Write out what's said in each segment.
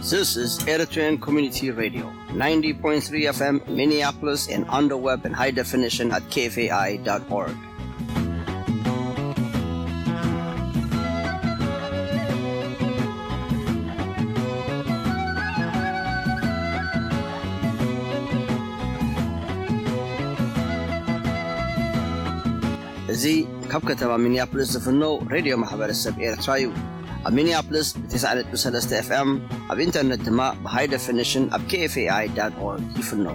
This is Eritrean Community Radio, ninety point three F M Minneapolis and on the web in high definition at K F A I dot org. እዚ ካብ ከተማ ሚኒያፖሊስ ዝፍኖ ሬድዮ ማሕበረሰብ ኤርትራ እዩ። ኣብ ሚኒያፖሊስ ብ90.3 F M፣ ኣብ ኢንተርነት ድማ ብ high definition ኣብ K F A I dot org ይፍኖ።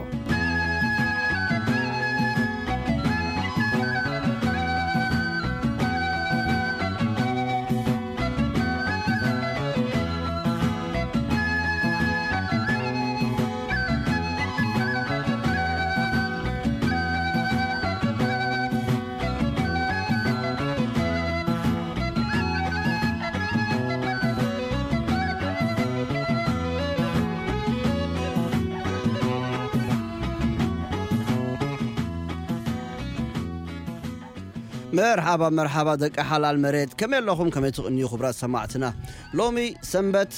መርሓባ፣ መርሓባ ደቂ ሓላል መሬት፣ ከመይ ኣለኹም? ከመይ ትቕንዩ ክቡራት ሰማዕትና? ሎሚ ሰንበት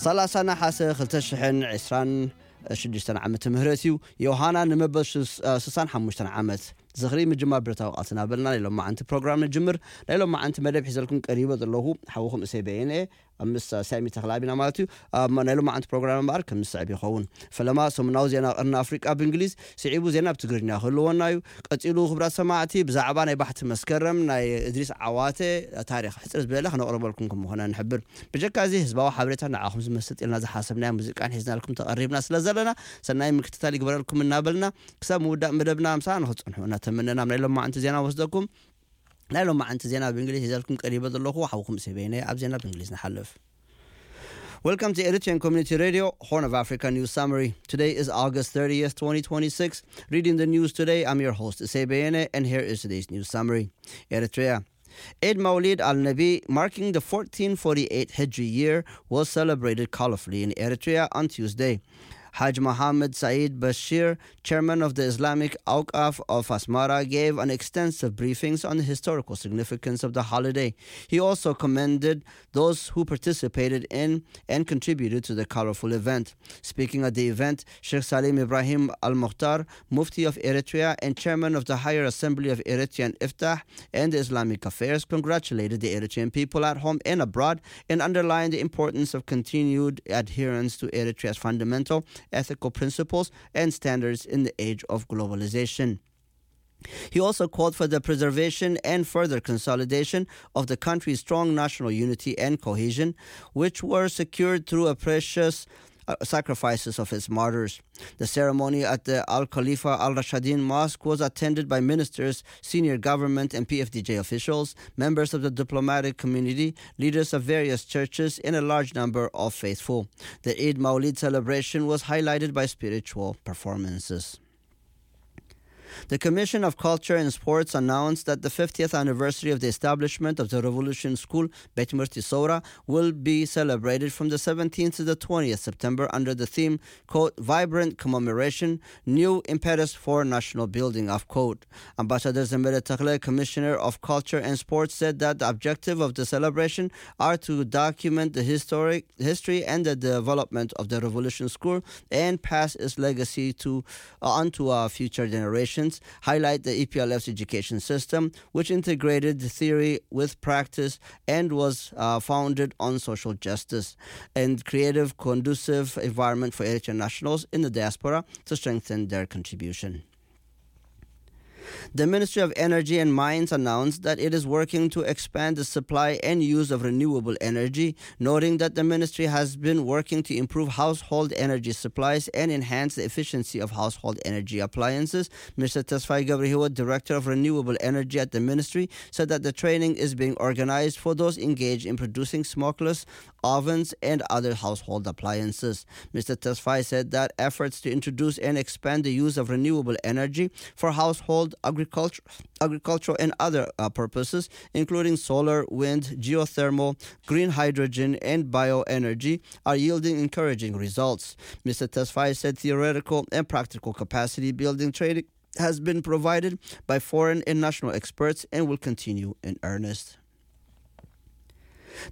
ሰላሳ ነሓሰ ክልተ ሽሕን ዕስራን ሽዱሽተን ዓመተ ምህረት እዩ። ዮሃና ንመበል ሽስ-፣ እ፣ ስሳን ሓሙሽተን ዓመት ዝኽሪ ምጅማር ብረታዊ ቃልሲ እናበልና ናይ ሎማዓንቲ ፕሮግራም ንጅምር። ናይ ሎማዓንቲ መደብ ሒዘልኩም ቀሪበ ዘለኹ ሓውኹም እሰይ በየነ እየ። ኣብ ምስ ሳሚ ተኽለኣብ ኢና ማለት እዩ። ኣብ ናይ ሎማዓንቲ ፕሮግራም እምበኣር ከም ዝስዕብ ይኸውን። ፈለማ ሰሙናዊ ዜና ቀርኒ ኣፍሪቃ ብእንግሊዝ፣ ስዒቡ ዜና ብትግርኛ ክህልወና እዩ። ቀጺሉ ክቡራት ሰማዕቲ ብዛዕባ ናይ ባሕቲ መስከረም ናይ እድሪስ ዓዋተ ታሪኽ ሕጽር ዝበለ ከነቕርበልኩም ከም ምኾነ ንሕብር። ብጀካ እዚ ህዝባዊ ሓበሬታ ንዓኹም ዝመስጥ ኢልና ዝሓሰብናዮ ሙዚቃን ሒዝናልኩም ተቐሪብና ስለ ዘለና ሰናይ ምክትታል ይግበረልኩም እናበልና ክሳብ ምውዳእ መደብና ምሳና ንኽትጸንሑ እናተመነና ኣብ ናይ ሎማዓንቲ ዜና ወስደኩም። ናይ ሎማዓንቲ ዜና ብእንግሊዝ ሒዘልኩም ቀሪበ ዘለኹ ሓውኩም እሰይ በየነ። ኣብ ዜና ብእንግሊዝ ንሓልፍ። Welcome to Eritrean Community Radio, Horn of Africa News Summary. Today is August thirtieth, twenty twenty-six. Reading the news today, I'm your host, Isay Beyene, and here is today's news summary. Eritrea. Eid Maulid al-Nabi, marking the fourteen forty-eight Hijri year, was celebrated colorfully in Eritrea on Tuesday. Haj Mohammed Saeed Bashir, chairman of the Islamic Awqaf of Asmara, gave an extensive briefings on the historical significance of the holiday. He also commended those who participated in and contributed to the colorful event. Speaking at the event, Sheikh Salim Ibrahim Al Mukhtar, Mufti of Eritrea and Chairman of the Higher Assembly of Eritrean Iftah and Islamic Affairs, congratulated the Eritrean people at home and abroad and underlined the importance of continued adherence to Eritrea's fundamental ethical principles and standards in the age of globalization. He also called for the preservation and further consolidation of the country's strong national unity and cohesion, which were secured through a precious uh, sacrifices of its martyrs. The ceremony at the Al Khalifa Al Rashidin Mosque was attended by ministers, senior government and P F D J officials, members of the diplomatic community, leaders of various churches, and a large number of faithful. The Eid Maulid celebration was highlighted by spiritual performances. The Commission of Culture and Sports announced that the fiftieth anniversary of the establishment of the Revolution School, Bet Murti Sora, will be celebrated from the seventeenth to the twentieth September under the theme, quote, Vibrant Commemoration, New Impetus for National Building, of quote. Ambassador Zemere Takle, Commissioner of Culture and Sports, said that the objective of the celebration are to document the historic history and the development of the Revolution School and pass its legacy to onto our future generations, highlight the E P L F's education system, which integrated the theory with practice and was uh, founded on social justice and creative, conducive environment for Eritrean nationals in the diaspora to strengthen their contribution. The Ministry of Energy and Mines announced that it is working to expand the supply and use of renewable energy, noting that the ministry has been working to improve household energy supplies and enhance the efficiency of household energy appliances. Mister Tesfai Gabrihiwat, Director of Renewable Energy at the ministry, said that the training is being organized for those engaged in producing smokeless ovens and other household appliances. Mister Tesfai said that efforts to introduce and expand the use of renewable energy for household, agriculture, agricultural, and other uh, purposes, including solar, wind, geothermal, green hydrogen, and bioenergy, are yielding encouraging results. Mister Tesfai said theoretical and practical capacity building training has been provided by foreign and national experts and will continue in earnest.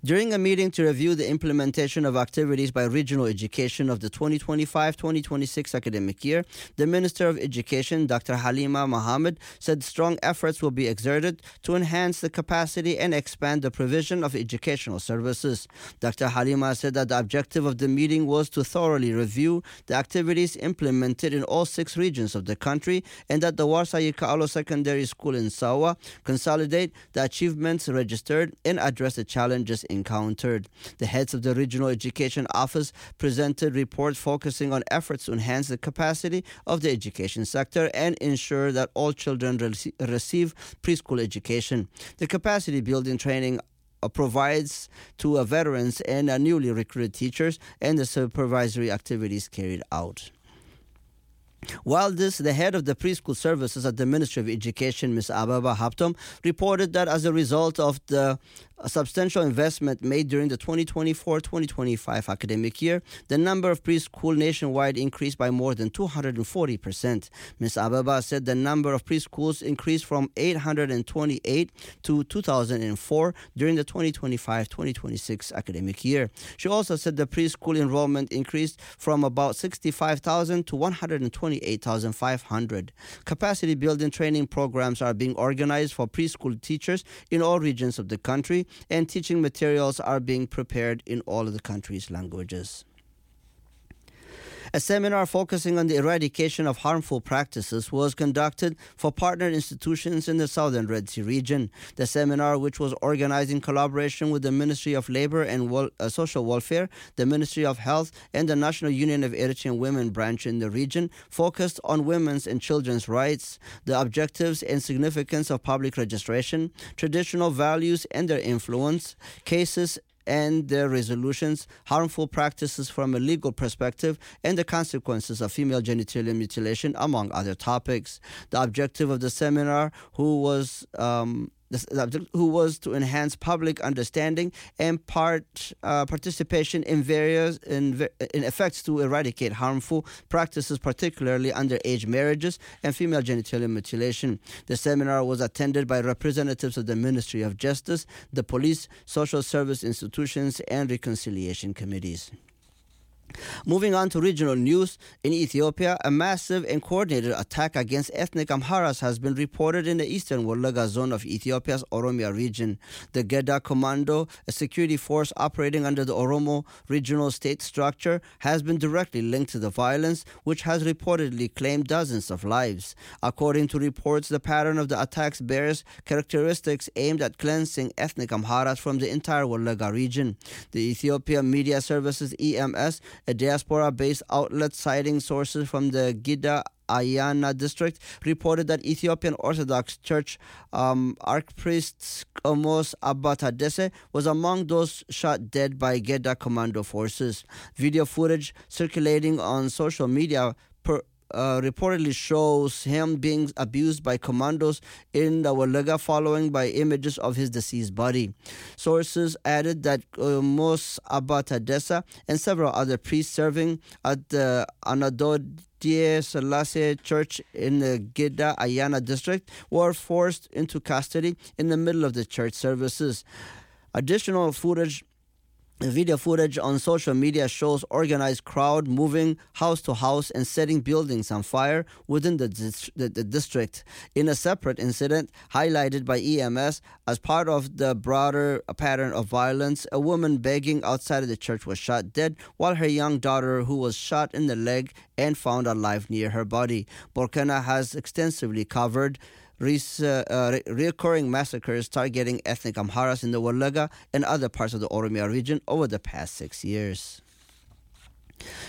During a meeting to review the implementation of activities by regional education of the twenty twenty-five twenty twenty-six academic year, the Minister of Education, Doctor Halima Mohammed, said strong efforts will be exerted to enhance the capacity and expand the provision of educational services. Doctor Halima said that the objective of the meeting was to thoroughly review the activities implemented in all six regions of the country and that the Warsaw Yikaalo Secondary School in Sawa consolidate the achievements registered and address the challenges encountered. The heads of the Regional Education Office presented reports focusing on efforts to enhance the capacity of the education sector and ensure that all children rece- receive preschool education. The capacity building training uh, provides to uh, veterans and uh, newly recruited teachers and the supervisory activities carried out. While this, the head of the preschool services at the Ministry of Education, Miss Ababa Haptom, reported that as a result of the substantial investment made during the twenty twenty-four twenty twenty-five academic year, the number of preschool nationwide increased by more than two hundred forty percent. Miss Ababa said the number of preschools increased from eight hundred twenty-eight to two thousand four during the twenty twenty-five twenty twenty-six academic year. She also said the preschool enrollment increased from about sixty-five thousand to one hundred twenty-eight thousand five hundred. Capacity building training programs are being organized for preschool teachers in all regions of the country, and teaching materials are being prepared in all of the country's languages. A seminar focusing on the eradication of harmful practices was conducted for partner institutions in the Southern Red Sea region. The seminar, which was organized in collaboration with the Ministry of Labor and Wel- uh, Social Welfare, the Ministry of Health, and the National Union of Eritrean Women branch in the region, focused on women's and children's rights, the objectives and significance of public registration, traditional values and their influence, cases and their resolutions, harmful practices from a legal perspective, and the consequences of female genitalia mutilation, among other topics. The objective of the seminar, who was um, the, the object- who was to enhance public understanding and part uh, participation in various in, ve- in efforts to eradicate harmful practices, particularly underage marriages and female genitalia mutilation. The seminar was attended by representatives of the Ministry of Justice, the police, social service institutions, and reconciliation committees. Moving on to regional news, in Ethiopia, a massive and coordinated attack against ethnic Amharas has been reported in the eastern Wolaga zone of Ethiopia's Oromia region. The Geda Commando, a security force operating under the Oromo regional state structure, has been directly linked to the violence, which has reportedly claimed dozens of lives. According to reports, the pattern of the attacks bears characteristics aimed at cleansing ethnic Amharas from the entire Wolaga region. The Ethiopian Media Services, E M S, a diaspora-based outlet citing sources from the Gida Ayana district, reported that Ethiopian Orthodox Church um, Archpriest Qomos Abba Tadesse was among those shot dead by Geda commando forces. Video footage circulating on social media per, uh, reportedly shows him being abused by commandos in the Walaga, following by images of his deceased body. Sources added that Qomos Abba Tadessa and several other priests serving at the Anadodie Selassie Church in the Geda Ayana district were forced into custody in the middle of the church services. Additional footage, video footage on social media shows organized crowd moving house to house and setting buildings on fire within the, dis- the, the district. In a separate incident highlighted by E M S, as part of the broader pattern of violence, a woman begging outside of the church was shot dead, while her young daughter, who was shot in the leg and found alive near her body. Borkena has extensively covered res- uh, uh, re- recurring massacres targeting ethnic Amharas in the Wolaga and other parts of the Oromia region over the past six years.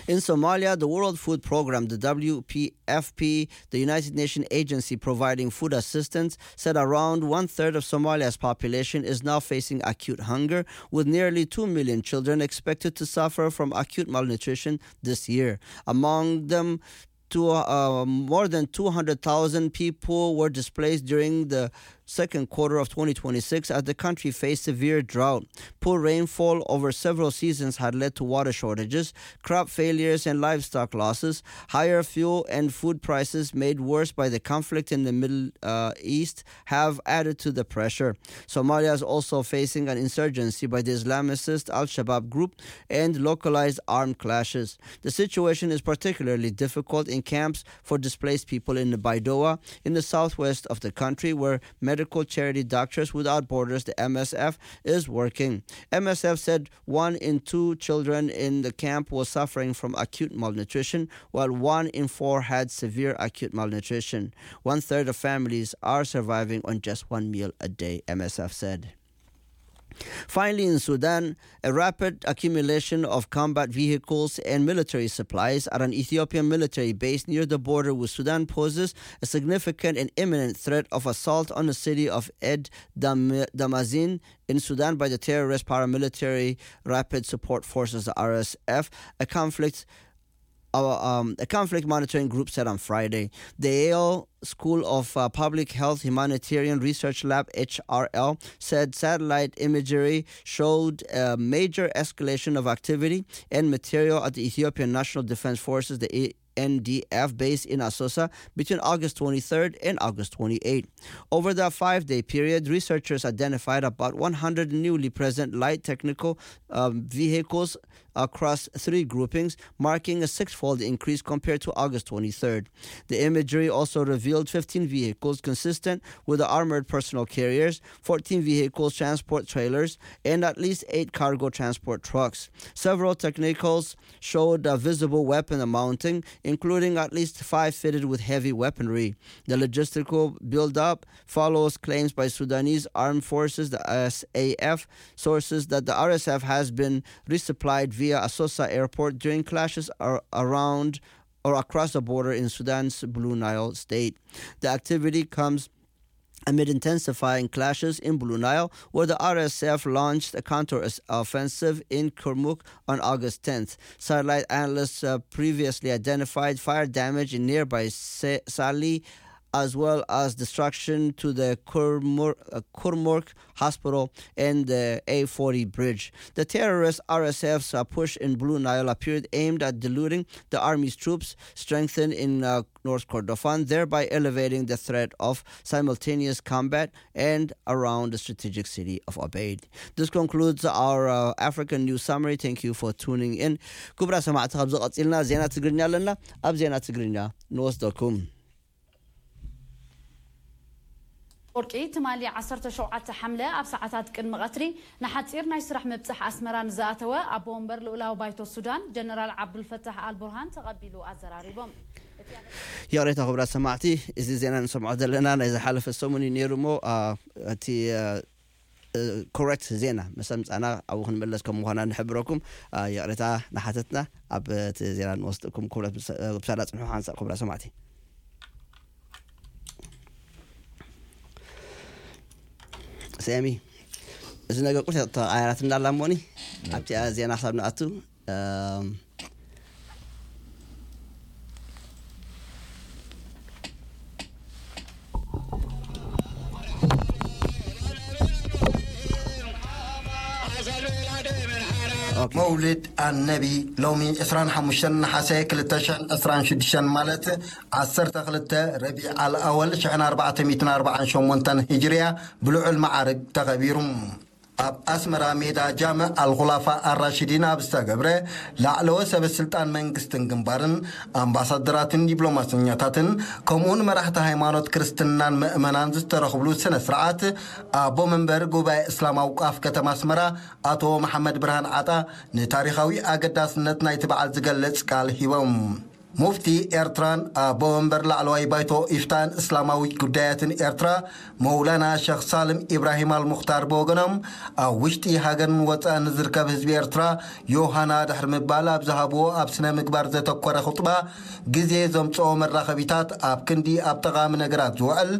In Somalia, the World Food Programme, the W F P, the United Nations agency providing food assistance, said around one third of Somalia's population is now facing acute hunger, with nearly two million children expected to suffer from acute malnutrition this year. Among them, two, uh, more than two hundred thousand people were displaced during the second quarter of twenty twenty-six as the country faced severe drought. Poor rainfall over several seasons had led to water shortages, crop failures, and livestock losses. Higher fuel and food prices, made worse by the conflict in the Middle uh, East, have added to the pressure. Somalia is also facing an insurgency by the Islamicist Al Shabaab group and localized armed clashes. The situation is particularly difficult in camps for displaced people in Baidoa, in the southwest of the country, where medical charity Doctors Without Borders, the M S F, is working. M S F said one in two children in the camp was suffering from acute malnutrition, while one in four had severe acute malnutrition. One third of families are surviving on just one meal a day, M S F said. Finally, in Sudan, a rapid accumulation of combat vehicles and military supplies at an Ethiopian military base near the border with Sudan poses a significant and imminent threat of assault on the city of Ed Dam- Damazin in Sudan by the terrorist paramilitary Rapid Support Forces, the R S F, a conflict uh, um, a conflict monitoring group said on Friday. The Yale School of uh, Public Health Humanitarian Research Lab, H R L, said satellite imagery showed a major escalation of activity and material at the Ethiopian National Defense Forces, the N D F, base in Asosa between August twenty-third and August twenty-eighth. Over the five day period, researchers identified about one hundred newly present light technical um, vehicles across three groupings, marking a six-fold increase compared to August twenty-third. The imagery also revealed fifteen vehicles consistent with the armored personnel carriers, fourteen vehicles transport trailers, and at least eight cargo transport trucks. Several technicals showed a visible weapon mounting, including at least five fitted with heavy weaponry. The logistical buildup follows claims by Sudanese Armed Forces, the S A F, sources that the R S F has been resupplied via Asosa Airport during clashes ar- around or across the border in Sudan's Blue Nile state. The activity comes amid intensifying clashes in Blue Nile, where the R S F launched a counter-offensive in Kurmuk on August tenth. Satellite analysts uh, previously identified fire damage in nearby Sa- Sali, as well as destruction to the Kurmur- uh, Kurmuk hospital and the A forty bridge. The terrorist R S F's uh, push in Blue Nile appeared aimed at diluting the army's troops, strengthened in uh, North Kordofan, thereby elevating the threat of simultaneous combat and around the strategic city of Obeid. This concludes our uh, African news summary. Thank you for tuning in. ክቡራት ሰማዕቲ፣ ካብዚ ቀፂልና ዜና ትግርኛ ኣለና። ኣብ ዜና ትግርኛ ንወስደኩም። ወርቂ ትማሊ ዓሰርተ ሸውዓተ ሓምለ ኣብ ሰዓታት ቅድሚ ቀትሪ ንሓጺር ናይ ስራሕ ምብጻሕ ኣስመራ ንዝኣተወ ኣቦ ወንበር ልኡላዊ ባይቶ ሱዳን ጀነራል ዓብዱልፈታሕ ኣልቡርሃን ተቐቢሉ ኣዘራሪቦም። ይቕሬታ ክቡራት ሰማዕቲ፣ እዚ ዜና ንሰምዖ ዘለና ናይ ዝሓለፈ ሰሙን እዩ ነይሩ እሞ እቲ ኮረክት ዜና ምስ ኣምጻና ኣብኡ ክንምለስ ከም ምዃና ንሕብረኩም። ይቕሬታ ንሓተትና። ኣብ እቲ ዜና ንወስደኩም። ክቡራት ብሳላ ጽንሑ ሓንሳእ ክቡራት ሰማዕቲ። ሰሚ፣ እዚ ነገር ቁርጥ ተቐያራት እንዳላ እሞኒ ኣብቲ ዜና ክሳብ ንኣቱ መውልድ ኣነቢ ሎሚ ዕስራን ሓሙሽተን ነሓሰ ክልተ ሽሕን ዕስራን ሽዱሽተን ማለት ዓሰርተ ክልተ ረቢዕ ኣልኣወል ሽሕን ኣርባዕተ ሚእትን ኣርባዓን ሸሞንተን ሂጅርያ ብልዑል መዓርግ ተኸቢሩ። ኣብ ኣስመራ ሜዳ ጃምዕ ኣልኹላፋ ኣራሽዲን ኣብ ዝተገብረ ላዕለዎት ሰበ ስልጣን መንግስትን ግንባርን ኣምባሳደራትን ዲፕሎማሰኛታትን ከምኡውን መራሕቲ ሃይማኖት ክርስትናን ምእመናን ዝተረኽብሉ ስነ ስርዓት ኣቦ መንበር ጉባኤ እስላም ኣውቃፍ ከተማ ኣስመራ ኣቶ መሓመድ ብርሃን ዓጣ ንታሪኻዊ ኣገዳስነት ናይቲ በዓል ዝገልጽ ቃል ሂቦም። ሙፍቲ ኤርትራን ኣቦ መንበር ላዕለዋይ ባይቶ ኢፍታን እስላማዊ ጉዳያትን ኤርትራ መውላና ሸኽ ሳልም ኢብራሂም ኣልሙኽታር ብወገኖም ኣብ ውሽጢ ሃገርን ወፃእን ንዝርከብ ህዝቢ ኤርትራ ዮሃና ድሕሪ ምባል ኣብ ዝሃብዎ ኣብ ስነ ምግባር ዘተኮረ ኹጥባ ግዜ ዘምፅኦ መራኸቢታት ኣብ ክንዲ ኣብ ጠቓሚ ነገራት ዝውዕል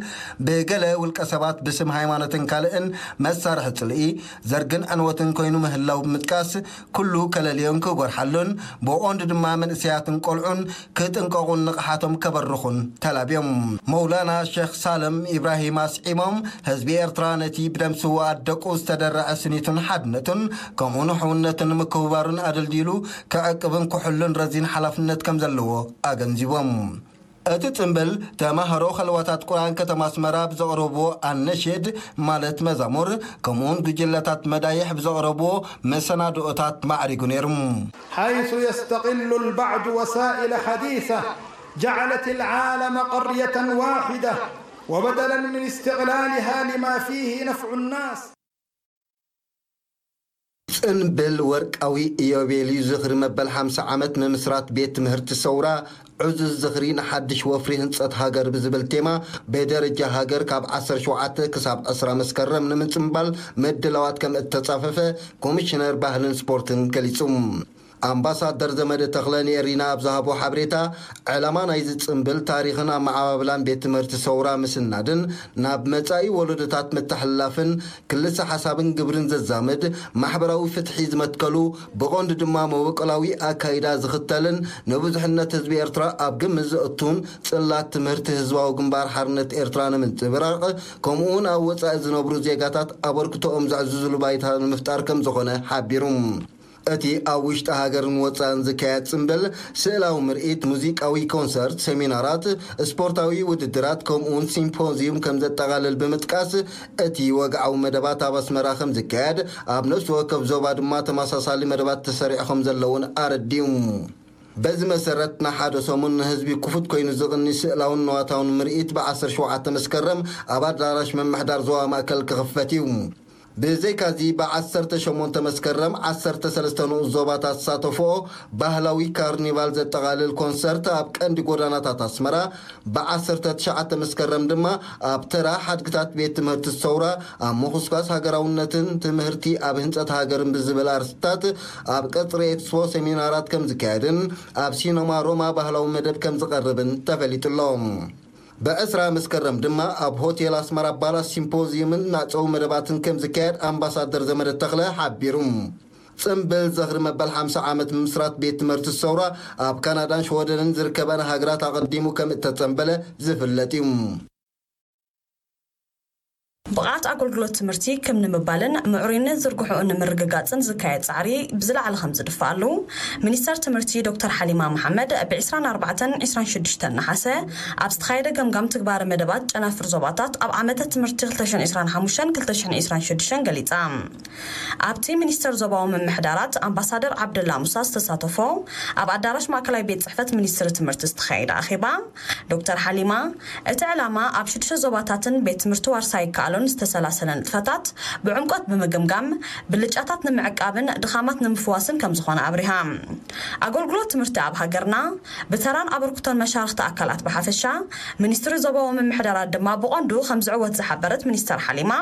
ብገለ ውልቀ ሰባት ብስም ሃይማኖትን ካልእን መሳርሒ ፅልኢ ዘርግን ዕንወትን ኮይኑ ምህላው ብምጥቃስ ኩሉ ከለልዮን ክጎርሓሉን ብኦንድ ድማ መንእሰያትን ቆልዑን ክጥንቀቑን ንቕሓቶም ከበርኹን ተላብዮም። መውላና ሸኽ ሳልም ኢብራሂም ኣስዒሞም፣ ህዝቢ ኤርትራ ነቲ ብደም ስውኣት ደቁ ዝተደረዐ ስኒቱን ሓድነቱን ከምኡውን ሕውነቱን ምክብባሩን ኣደልዲሉ ክዕቅብን ክሕሉን ረዚን ሓላፍነት ከም ዘለዎ ኣገንዚቦም። እቲ ጽምብል ተማሃሮ ኸልዋታት ቁርኣን ከተማ ኣስመራ ብዘቕረብዎ ኣነሼድ ማለት መዛሙር ከምኡውን ጉጅለታት መዳይሕ ብዘቕረብዎ መሰናድኦታት ማዕሪጉ ነይሩ። حيث يستغل البعض وسائل حديثة جعلت العالم قرية واحدة وبدلا من استغلالها لما فيه نفع الناس. ጽንብል ወርቃዊ ኢዮቤልዩ ዝኽሪ መበል ሓምሳ ዓመት ምምስራት ቤት ትምህርቲ ሰውራ ዕዙዝ ዝኽሪ ንሓድሽ ወፍሪ ህንጸት ሃገር ብዝብል ቴማ ብደረጃ ሃገር ካብ ዓሰርተ ሸውዓተ ክሳብ ዕስራ መስከረም ንምጽንባል ምድላዋት ከም እተጻፈፈ ኮሚሽነር ባህልን ስፖርትን ገሊጹ። ኣምባሳደር ዘመደ ተኽለ ንኤሪና ኣብ ዝሃቦ ሓበሬታ፣ ዕላማ ናይዚ ጽምብል ታሪኽን ኣመዓባብላን ቤት ትምህርቲ ሰውራ ምስናድን ናብ መጻኢ ወለዶታት ምትሕልላፍን ክልሰ ሓሳብን ግብርን ዘዛምድ ማሕበራዊ ፍትሒ ዝመትከሉ ብቐንዱ ድማ መበቆላዊ ኣካይዳ ዝኽተልን ንብዙሕነት ህዝቢ ኤርትራ ኣብ ግምት ዘእቱን ጽላት ትምህርቲ ህዝባዊ ግንባር ሓርነት ኤርትራ ንምንጽብራቕ ከምኡውን ኣብ ወጻኢ ዝነብሩ ዜጋታት ኣበርክቶኦም ዘዕዝዝሉ ባይታ ንምፍጣር ከም ዝኾነ ሓቢሩ። እቲ ኣብ ውሽጢ ሃገርን ወጻእን ዝካየድ ጽምብል፣ ስእላዊ ምርኢት፣ ሙዚቃዊ ኮንሰርት፣ ሰሚናራት፣ ስፖርታዊ ውድድራት ከምኡውን ሲምፖዝዩም ከም ዘጠቓልል ብምጥቃስ፣ እቲ ወግዓዊ መደባት ኣብ ኣስመራ ከም ዝካየድ፣ ኣብ ነፍሲ ወከፍ ዞባ ድማ ተመሳሳሊ መደባት ተሰሪዑ ከም ዘለውን ኣረዲኡ። በዚ መሰረት ንሓደ ሰሙን ንህዝቢ ክፉት ኮይኑ ዝቕኒ ስእላውን ንዋታውን ምርኢት ብ ዓሰርተ ሸውዓተ መስከረም ኣብ ኣዳራሽ ምምሕዳር ዞባ ማእከል ክኽፈት እዩ። ብዘይካዚ ብ ዓሰርተ ሸሞንተ መስከረም ዓሰርተ ሰለስተ ንኡስ ዞባታት ዝሳተፍኦ ባህላዊ ካርኒቫል ዘጠቓልል ኮንሰርት ኣብ ቀንዲ ጎዳናታት ኣስመራ፣ ብ ዓሰርተ ትሽዓተ መስከረም ድማ ኣብ ተራ ሓድግታት ቤት ትምህርቲ ሰውራ ኣብ ምኹስኳስ ሃገራውነትን ትምህርቲ ኣብ ህንጸት ሃገርን ብዝብል ኣርእስትታት ኣብ ቀጽሪ ኤክስፖ ሰሚናራት ከም ዝካየድን ኣብ ሲነማ ሮማ ባህላዊ መደብ ከም ዝቐርብን ተፈሊጡ ኣሎ። ብዕስራ መስከረም ድማ ኣብ ሆቴል ኣስመራ ባላስ ሲምፖዝዩምን መዕጸዊ መደባትን ከም ዝካየድ ኣምባሳደር ዘመደ ተኽለ ሓቢሩ። ጽምብል ዝኽሪ መበል ሓምሳ ዓመት ምምስራት ቤት ትምህርቲ ሰውራ ኣብ ካናዳን ሽወደንን ዝርከበን ሃገራት ኣቐዲሙ ከም እተጸንበለ ዝፍለጥ እዩ። ብቕዓት ኣገልግሎት ትምህርቲ ክም ንምባልን ምዕሩይነት ዝርግሕኡ ንምርግጋጽን ዝካየድ ጻዕሪ ብዝለዓለ ከም ዝድፋኣሉ ሚኒስተር ትምህርቲ ዶክተር ሓሊማ መሓመድ ብ ዕስራን ኣርባዕተን ዕስራን ሽዱሽተን ነሓሰ ኣብ ዝተኻየደ ገምጋም ትግባረ መደባት ጨናፍር ዞባታት ኣብ ዓመተ ትምህርቲ ክልተ ሽሕን ዕስራን ሓሙሽተን ክልተ ሽሕን ዕስራን ሽዱሽተን ገሊጻ። ኣብቲ ሚኒስተር ዞባዊ ምምሕዳራት ኣምባሳደር ዓብደላ ሙሳ ዝተሳተፎ ኣብ ኣዳራሽ ማእከላይ ቤት ጽሕፈት ሚኒስትሪ ትምህርቲ ዝተኻየደ ኣኼባ ዶክተር ሓሊማ፣ እቲ ዕላማ ኣብ ሽዱሽተ ዞባታትን ቤት ትምህርቲ ዋርሳይ ይከኣሎን ዝተሰላሰለ ንጥፈታት ብዕምቆት ብምግምጋም፣ ብልጫታት ንምዕቃብን ድኻማት ንምፍዋስን ከም ዝኾነ ኣብሪሃ። ኣገልግሎት ትምህርቲ ኣብ ሃገርና ብተራን ኣበርክቶን መሻርኽቲ ኣካላት ብሓፈሻ፣ ሚኒስትሪ ዞባዊ ምምሕዳራት ድማ ብቐንዱ ከም ዝዕወት ዝሓበረት ሚኒስተር ሓሊማ፣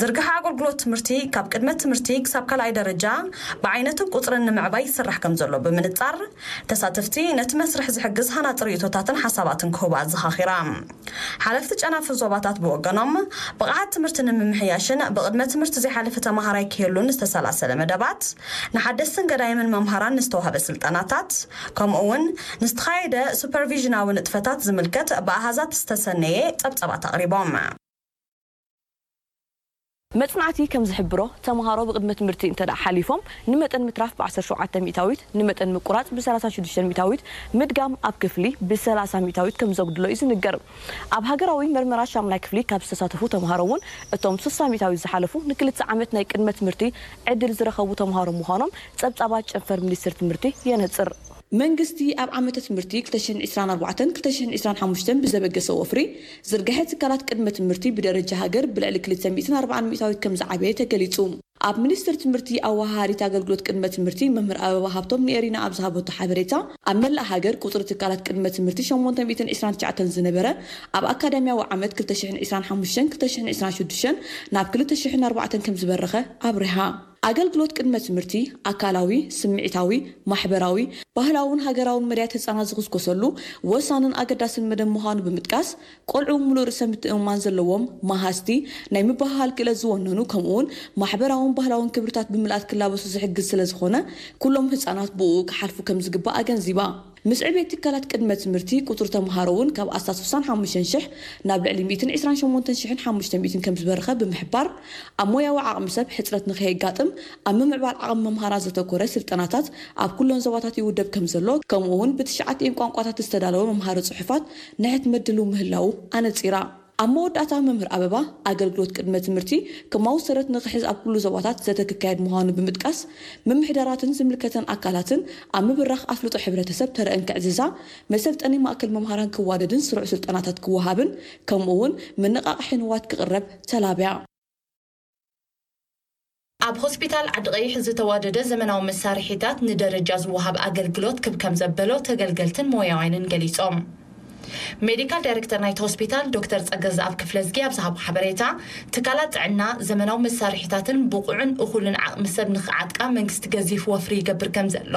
ዝርግሐ ኣገልግሎት ትምህርቲ ካብ ቅድመ ትምህርቲ ክሳብ ካልኣይ ደረጃ ብዓይነትን ቁጽርን ንምዕባይ ይስራሕ ከም ዘሎ ብምንጻር፣ ተሳተፍቲ ነቲ መስርሕ ዝሕግዝ ሃናጺ ርእይቶታትን ሓሳባትን ክህቡ ኣዘኻኺራ። ሓለፍቲ ጨናፍር ዞባታት ብወገኖም፣ ብቕዓት ትምህርቲ ንምምሕያሽን ብቕድመ ትምህርቲ ዘይሓለፈ ተማሃራይ ክህሉን ዝተሰላሰለ መደባት፣ ንሓደስትን ገዳይምን መምሃራን ንዝተዋህበ ስልጠናታት፣ ከምኡ እውን ንዝተኻየደ ሱፐርቪዥናዊ ንጥፈታት ዝምልከት ብኣሃዛት ዝተሰነየ ጸብጻባት ኣቕሪቦም። መጽናዕቲ ከም ዝሕብሮ፣ ተምሃሮ ብቕድመ ትምህርቲ እንተ ደኣ ሓሊፎም፣ ንመጠን ምትራፍ ብ ዓሰርተ ሸውዓተ ሚእታዊት፣ ንመጠን ምቁራጽ ብ ሰላሳ ሽዱሽተ ሚእታዊት፣ ምድጋም ኣብ ክፍሊ ብ ሰላሳ ሚእታዊት ከም ዘጉድሎ እዩ ዝንገር። ኣብ ሃገራዊ መርመራ ሻምናይ ክፍሊ ካብ ዝተሳተፉ ተምሃሮ እውን፣ እቶም ስሳ ሚእታዊት ዝሓለፉ ንክልተ ዓመት ናይ ቅድመ ትምህርቲ ዕድል ዝረኸቡ ተምሃሮ ምዃኖም ጸብጻባት ጨንፈር ሚኒስትሪ ትምህርቲ የነጽር። መንግስቲ ኣብ ዓመተ ትምህርቲ ክልተ ሽሕን ዕስራን ኣርባዕተን ክልተ ሽሕን ዕስራን ሓሙሽተን ብዘበገሰ ወፍሪ ዝርግሐ ትካላት ቅድመ ትምህርቲ ብደረጃ ሃገር ብልዕሊ ክልተ ሚእትን ኣርባዓን ሚእታዊት ከም ዝዓበየ ተገሊጹ። ኣብ ሚኒስቴር ትምህርቲ ኣወሃሃዲት ኣገልግሎት ቅድመ ትምህርቲ መምህር ኣበባ ሃብቶም ንኤሪና ኣብ ዝሃበቶ ሓበሬታ፣ ኣብ መላእ ሃገር ቁጽሪ ትካላት ቅድመ ትምህርቲ ሸሞንተ ሚእትን ዕስራን ትሽዓተን ዝነበረ፣ ኣብ ኣካዳሚያዊ ዓመት ክልተ ሽሕን ዕስራን ሓሙሽተን ክልተ ሽሕን ዕስራን ሽዱሽተን ናብ ክልተ ሽሕን ኣርባዕተን ከም ዝበረኸ ኣብሪሃ። ኣገልግሎት ቅድመ ትምህርቲ ኣካላዊ፣ ስምዒታዊ፣ ማሕበራዊ፣ ባህላውን ሃገራውን መድያት ህጻናት ዝኹስኮሰሉ ወሳንን ኣገዳስን መደብ ምዃኑ ብምጥቃስ፣ ቆልዑ ምሉእ ርእሰ ምትእምማን ዘለዎም፣ መሃዝቲ፣ ናይ ምብህሃል ክእለት ዝወነኑ፣ ከምኡውን ማሕበራውን ባህላውን ክብርታት ብምልኣት ክላበሱ ዝሕግዝ ስለ ዝኾነ፣ ኩሎም ህጻናት ብእኡ ክሓልፉ ከም ዝግባእ ኣገንዚባ። ምስ ዕቤት ትካላት ቅድመ ትምህርቲ፣ ቁጽሪ ተምሃሮ እውን ካብ ኣስታት ስሳን ሓሙሽተን ሽሕ ናብ ልዕሊ ሚእትን ዕስራን ሸሞንተን ሽሕን ሓሙሽተ ሚእትን ከም ዝበረኸ ብምሕባር፣ ኣብ ሞያዊ ዓቕሚ ሰብ ሕጽረት ንኸየጋጥም ኣብ ምምዕባል ዓቕሚ መምሃራ ዘተኮረ ስልጠናታት ኣብ ኩለን ዞባታት ይውደብ ከም ዘሎ፣ ከምኡ እውን ብትሽዓቲኤን ቋንቋታት ዝተዳለወ መምሃሪ ጽሑፋት ንሕትመት ድልው ምህላዉ ኣነጺራ። ኣብ መወዳእታ፣ መምህር ኣበባ፣ ኣገልግሎት ቅድመ ትምህርቲ ከማዊ ሰረት ንኽሕዝ ኣብ ኩሉ ዞባታት ዘተ ክካየድ ምዃኑ ብምጥቃስ፣ ምምሕዳራትን ዝምልከተን ኣካላትን ኣብ ምብራኽ ኣፍልጦ ሕብረተሰብ ተረአን ክዕዝዛ፣ መሰልጠኒ ማእከል መምሃራን ክዋደድን ስሩዕ ስልጠናታት ክወሃብን፣ ከምኡ እውን መነቓቕሒ ንዋት ክቕረብ ተላብያ። ኣብ ሆስፒታል ዓዲ ቀይሕ ዝተዋደደ ዘመናዊ መሳርሒታት ንደረጃ ዝወሃብ ኣገልግሎት ክብ ከም ዘበሎ ተገልገልትን ሞያውያንን ገሊጾም። ሜዲካል ዳይሬክተር ናይቲ ሆስፒታል ዶክተር ጸገዝኣብ ክፍለዝጊ ኣብ ዝሃቦ ሓበሬታ፣ ትካላት ጥዕና ዘመናዊ መሳርሒታትን ብቑዕን እኹልን ዓቕሚ ሰብ ንኽዓጥቃ መንግስቲ ገዚፍ ወፍሪ ይገብር ከም ዘሎ፣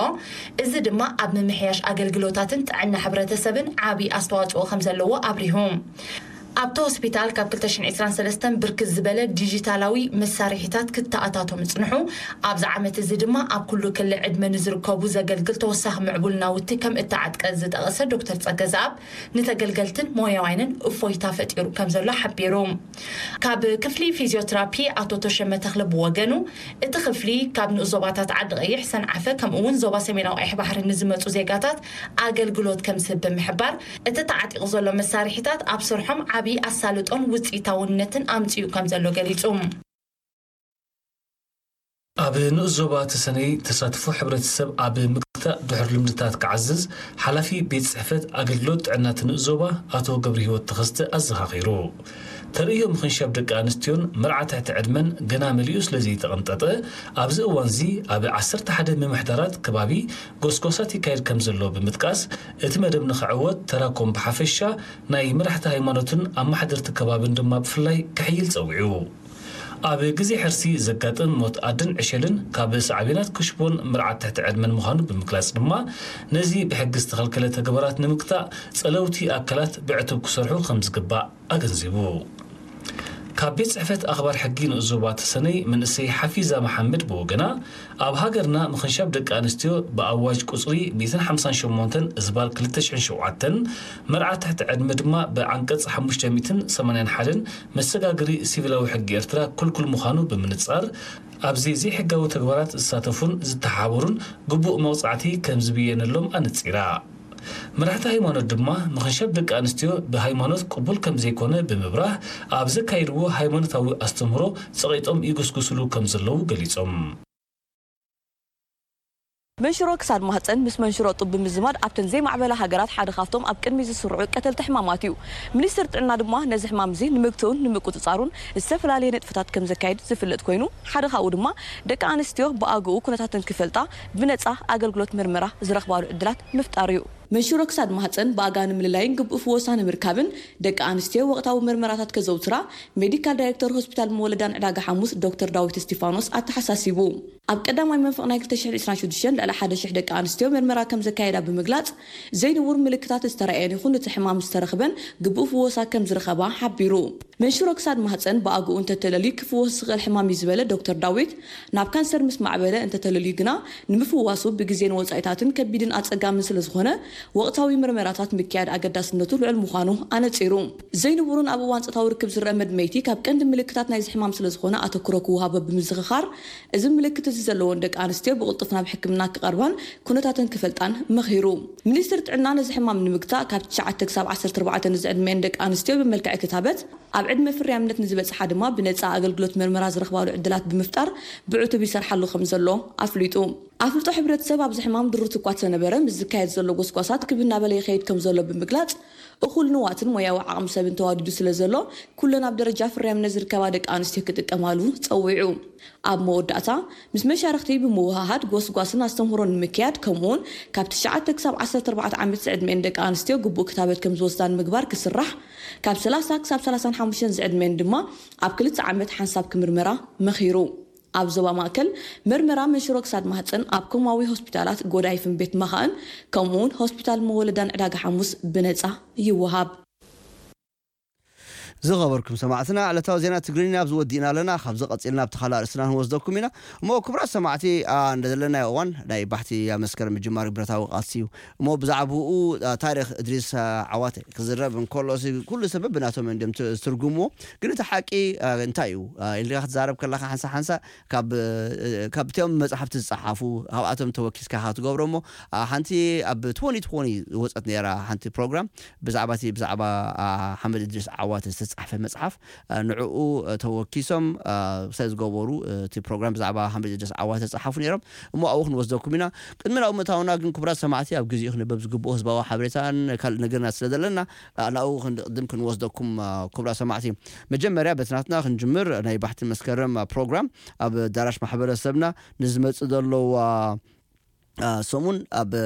እዚ ድማ ኣብ ምምሕያሽ ኣገልግሎታትን ጥዕና ሕብረተሰብን ዓቢ ኣስተዋጽኦ ከም ዘለዎ ኣብሪሁ። ኣብቲ ሆስፒታል ካብ ክልተ ሽሕን ዕስራን ሰለስተን ብርክት ዝበለ ዲጂታላዊ መሳርሒታት ክተኣታቶ ምጽንሑ፣ ኣብዚ ዓመት እዚ ድማ ኣብ ኩሉ ክሊ ዕድመ ንዝርከቡ ዘገልግል ተወሳኺ ምዕቡል ናውቲ ከም እተዓጥቀ ዝጠቐሰ ዶክተር ጸገዝኣብ፣ ንተገልገልትን ሞያውያንን እፎይታ ፈጢሩ ከም ዘሎ ሓቢሩ። ካብ ክፍሊ ፊዚዮትራፒ ኣቶ ተሸመ ተኽለ ብወገኑ፣ እቲ ክፍሊ ካብ ንኡስ ዞባታት ዓዲ ቀይሕ፣ ሰንዓፈ፣ ከምኡ እውን ዞባ ሰሜናዊ ቀይሕ ባሕሪ ንዝመጹ ዜጋታት ኣገልግሎት ከም ዝህብ ብምሕባር፣ እቲ ተዓጢቑ ዘሎ መሳርሒታት ኣብ ስርሖም ዓቢ ኣሳልጦን ውጽኢታውነትን ኣምጺኡ ከም ዘሎ ገሊጹ። ኣብ ንኡስ ዞባ ተሰነይ ተሳትፎ ሕብረተሰብ ኣብ ምግታእ ድሑር ልምድታት ክዓዝዝ ሓላፊ ቤት ጽሕፈት ኣገልግሎት ጥዕና እቲ ንኡስ ዞባ ኣቶ ገብረህይወት ተኸስተ ኣዘኻኺሩ። ተርእዮ ምኽንሻብ ደቂ ኣንስትዮን መርዓ ትሕቲ ዕድመን ገና መሊኡ ስለ ዘይተቐንጠጠ፣ ኣብዚ እዋንዚ ኣብ ዓሰርተ ሓደ ምምሕዳራት ከባቢ ጎስጓሳት ይካየድ ከም ዘሎ ብምጥቃስ፣ እቲ መደብ ንኽዕወት ተራኮም ብሓፈሻ፣ ናይ መራሕቲ ሃይማኖትን ኣመሓደርቲ ከባብን ድማ ብፍላይ ክሕይል ጸዊዑ። ኣብ ግዜ ሕርሲ ዘጋጥም ሞት ኣድን ዕሸልን ካብ ሳዕቤናት ክሽቦን መርዓት ትሕቲ ዕድመን ምዃኑ ብምግላጽ ድማ፣ ነዚ ብሕጊ ዝተኸልከለ ተግባራት ንምግታእ ጸለውቲ ኣካላት ብዕቱብ ክሰርሑ ከም ዝግባእ ኣገንዚቡ። ካብ ቤት ጽሕፈት ኣኽባር ሕጊ ንኡስ ዞባ ተሰነይ መንእሰይ ሓፊዛ መሓመድ ብወገና፣ ኣብ ሃገርና ምኽንሻብ ደቂ ኣንስትዮ ብኣዋጅ ቁጽሪ ሚእትን ሓምሳን ሸሞንተን እዝባር ክልተ ሽሕን ሸውዓተን፣ መርዓ ትሕቲ ዕድመ ድማ ብዓንቀጽ ሓሙሽተ ሚእትን ሰማንያን ሓደን መሰጋገሪ ሲቪላዊ ሕጊ ኤርትራ ክልኩል ምዃኑ ብምንጻር፣ ኣብዚ ዘይሕጋዊ ተግባራት ዝሳተፉን ዝተሓባበሩን ግቡእ መቕጻዕቲ ከም ዝብየነሎም ኣነጺራ። መራሕቲ ሃይማኖት ድማ ምኽንሻብ ደቂ ኣንስትዮ ብሃይማኖት ቅቡል ከም ዘይኮነ ብምብራህ፣ ኣብ ዘካየድዎ ሃይማኖታዊ ኣስተምህሮ ጸቒጦም ይጉስጉስሉ ከም ዘለዉ ገሊጾም። መንሽሮ ክሳድ ማህጸን ምስ መንሽሮ ጡብ ብምዝማድ ኣብተን ዘይማዕበላ ሃገራት ሓደ ካብቶም ኣብ ቅድሚ ዝስርዑ ቀተልቲ ሕማማት እዩ። ሚኒስትሪ ጥዕና ድማ ነዚ ሕማም እዚ ንምግትኡን ንምቁጽጻሩን ዝተፈላለየ ንጥፈታት ከም ዘካይድ ዝፍለጥ ኮይኑ፣ ሓደ ካብኡ ድማ ደቂ ኣንስትዮ ብኣግኡ ኩነታተን ክፈልጣ ብነጻ ኣገልግሎት ምርመራ ዝረኽባሉ ዕድላት ምፍጣር እዩ። መንሽሮ ክሳድ ማህጸን ብኣጋ ንምልላይን ግቡእ ፍወሳ ንምርካብን ደቂ ኣንስትዮ ወቕታዊ ምርመራታት ከዘውትራ ሜዲካል ዳይሬክተር ሆስፒታል መወለዳን ዕዳጋ ሓሙስ ዶክተር ዳዊት እስቲፋኖስ ኣተሓሳሲቡ። ኣብ ቀዳማይ መንፈቕ ናይ ክልተ ሽሕን ዕስራን ሽዱሽተን ልዕሊ ሓደ ሽሕ ደቂ ኣንስትዮ ምርመራ ከም ዘካየዳ ብምግላጽ፣ ዘይንቡር ምልክታት ዝተራእየን ይኹን እቲ ሕማም ዝተረኽበን ግቡእ ፍወሳ ከም ዝረኸባ ሓቢሩ። መንሽሮ ክሳድ ማህጸን ብኣግኡ እንተተለልዩ ክፍወስ ዝኽእል ሕማም እዩ ዝበለ ዶክተር ዳዊት፣ ናብ ካንሰር ምስ ማዕበለ እንተተለልዩ ግና ንምፍዋሱ ብግዜን ወጻኢታትን ከቢድን ኣጸጋምን ስለ ዝኾነ፣ ወቕታዊ ምርመራታት ምክያድ ኣገዳስነቱ ልዑል ምዃኑ ኣነጺሩ። ዘይንቡርን ኣብ እዋን ጾታዊ ርክብ ዝረአ መድመይቲ ካብ ቀንዲ ምልክታት ናይዚ ሕማም ስለ ዝኾነ ኣተኩሮ ክወሃቦ ብምዝኽኻር፣ እዚ ምልክት እዚ ዘለወን ደቂ ኣንስትዮ ብቕልጡፍ ናብ ሕክምና ክቐርባን ኩነታተን ክፈልጣን መኺሩ። ሚኒስትሪ ጥዕና ነዚ ሕማም ንምግታእ ካብ ትሽዓተ ክሳብ ዓሰርተ ኣርባዕተ ንዝዕድመኤን ደቂ ኣንስትዮ ብመልክዕ ክታበት፣ ኣብ ዕድመ ፍርያምነት ንዝበጽሓ ድማ ብነጻ ኣገልግሎት መርመራ ዝረኽባሉ ዕድላት ብምፍጣር ብዕቱብ ይሰርሓሉ ከም ዘሎ ኣፍሊጡ። ኣፍልጦ ሕብረተሰብ ኣብዚ ሕማም ድሩት እኳ ተነበረ፣ ምስ ዝካየድ ዘሎ ጎስጓሳት ክብ እናበለ ይኸይድ ከም ዘሎ ብምግላጽ፣ እኹል ንዋትን ሞያዊ ዓቕሚ ሰብን ተዋዲዱ ስለ ዘሎ፣ ኩለን ኣብ ደረጃ ፍርያምነት ዝርከባ ደቂ ኣንስትዮ ክጥቀማሉ ጸዊዑ። ኣብ መወዳእታ፣ ምስ መሻርኽቲ ብምውህሃድ ጎስጓስን ኣስተምህሮን ንምክያድ፣ ከምኡውን ካብ ትሽዓተ ክሳብ ዓሰርተ ኣርባዕተ ዓመት ዝዕድመኤን ደቂ ኣንስትዮ ግቡእ ክታበት ከም ዝወስዳ ንምግባር ክስራሕ፣ ካብ ሰላሳ ክሳብ ሰላሳን ሓሙሽተን ዝዕድመኤን ድማ ኣብ ክልተ ዓመት ሓንሳብ ክምርመራ መኺሩ። ኣብ ዞባ ማእከል፣ መርመራ መንሽሮ ክሳድ ማህጸን ኣብ ኮማዊ ሆስፒታላት ጎዳይፍን ቤት መኻእን፣ ከምኡውን ሆስፒታል መወለዳን ዕዳጋ ሓሙስ ብነጻ ይወሃብ። ዝኸበርኩም ሰማዕትና፣ ዕለታዊ ዜና ትግርኛ ኣብዚ ወዲእና ኣለና። ካብዚ ቀጺልና ኣብቲ ካልእ ኣርእስትና ክንወስደኩም ኢና። እሞ ክቡራት ሰማዕቲ፣ ኣ፣ እንደ ዘለናዮ እዋን ናይ ባሕቲ ኣብ መስከረም ምጅማር ብረታዊ ቃልሲ እዩ። እሞ ብዛዕባኡ፣ ኣ፣ ታሪኽ እድሪስ፣ ኣ፣ ዓዋተ ክዝረብ እንከሎ፣ እዚ ኩሉ ሰበብ ብናቶም እዮም ት-፣ ዝትርጉምዎ። ግን እቲ ሓቂ፣ ኣ፣ እንታይ እዩ? ኣ፣ ኢልካ ክትዛረብ ከለኻ ሓንሳ ሓንሳ ካብ፣ እ፣ ካብቶም መጽሓፍቲ ዝጸሓፉ፣ ካብኣቶም ተወኪስካ ኢኻ ትገብሮ። እሞ፣ ኣ፣ ሓንቲ ኣብ ትወኒ ትወኒ ዝወጸት ነይራ ሓንቲ ፕሮግራም ብዛዕባ እቲ፣ ብዛዕባ፣ ኣ፣ ሓመድ እድሪስ ዓዋተ ዝተጻሕፈ መጽሓፍ፣ እ፣ ንዕኡ፣ እ፣ ተወኪሶም፣ እ፣ ስለ ዝገበሩ፣ እ፣ እቲ ፕሮግራም ብዛዕባ ሓመድ እድሪስ ዓዋተ ዝጸሓፉ ነይሮም። እሞ ኣብኡ ክንወስደኩም ኢና። ቅድሚ ናብ ምእታውና ግን ክቡራት ሰማዕቲ ኣብ ግዜኡ ክነበብ ዝግብኦ ህዝባዊ ሓበሬታን ካልእ ነገርና ስለ ዘለና፣ እ፣ ናብኡ ክንቅድም ክንወስደኩም፣ እ፣ ክቡራት ሰማዕቲ። መጀመርያ በቲ ናትና ክንጅምር ናይ ባሕቲ መስከረም፣ እ፣ ፕሮግራም ኣብ ኣዳራሽ ማሕበረሰብና ንዝመጽእ ዘሎ፣ እ፣ እ፣ ሰሙን ኣብ፣ እ፣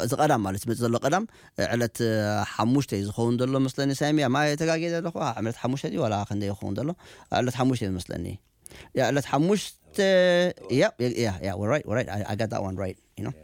እዚ ቀዳም ማለት ዝመጽእ ዘሎ ቀዳም፣ እ፣ ዕለት፣ እ፣ ሓሙሽተ እዩ ዝኸውን ዘሎ መስለኒ። ሳሚ፣ ኣማ ተጋግየ ዘለኹ? ኣ፣ ዕለት ሓሙሽተ ድዩ ዋላ ክንደይ ይኸውን ዘሎ? እ፣ ዕለት ሓሙሽተ እዩ መስለኒ። ያ፣ ዕለት ሓሙሽተ፣ ያ፣ ያ፣ ያ፣ ያ፣ right, right. I, I got that one right, you know.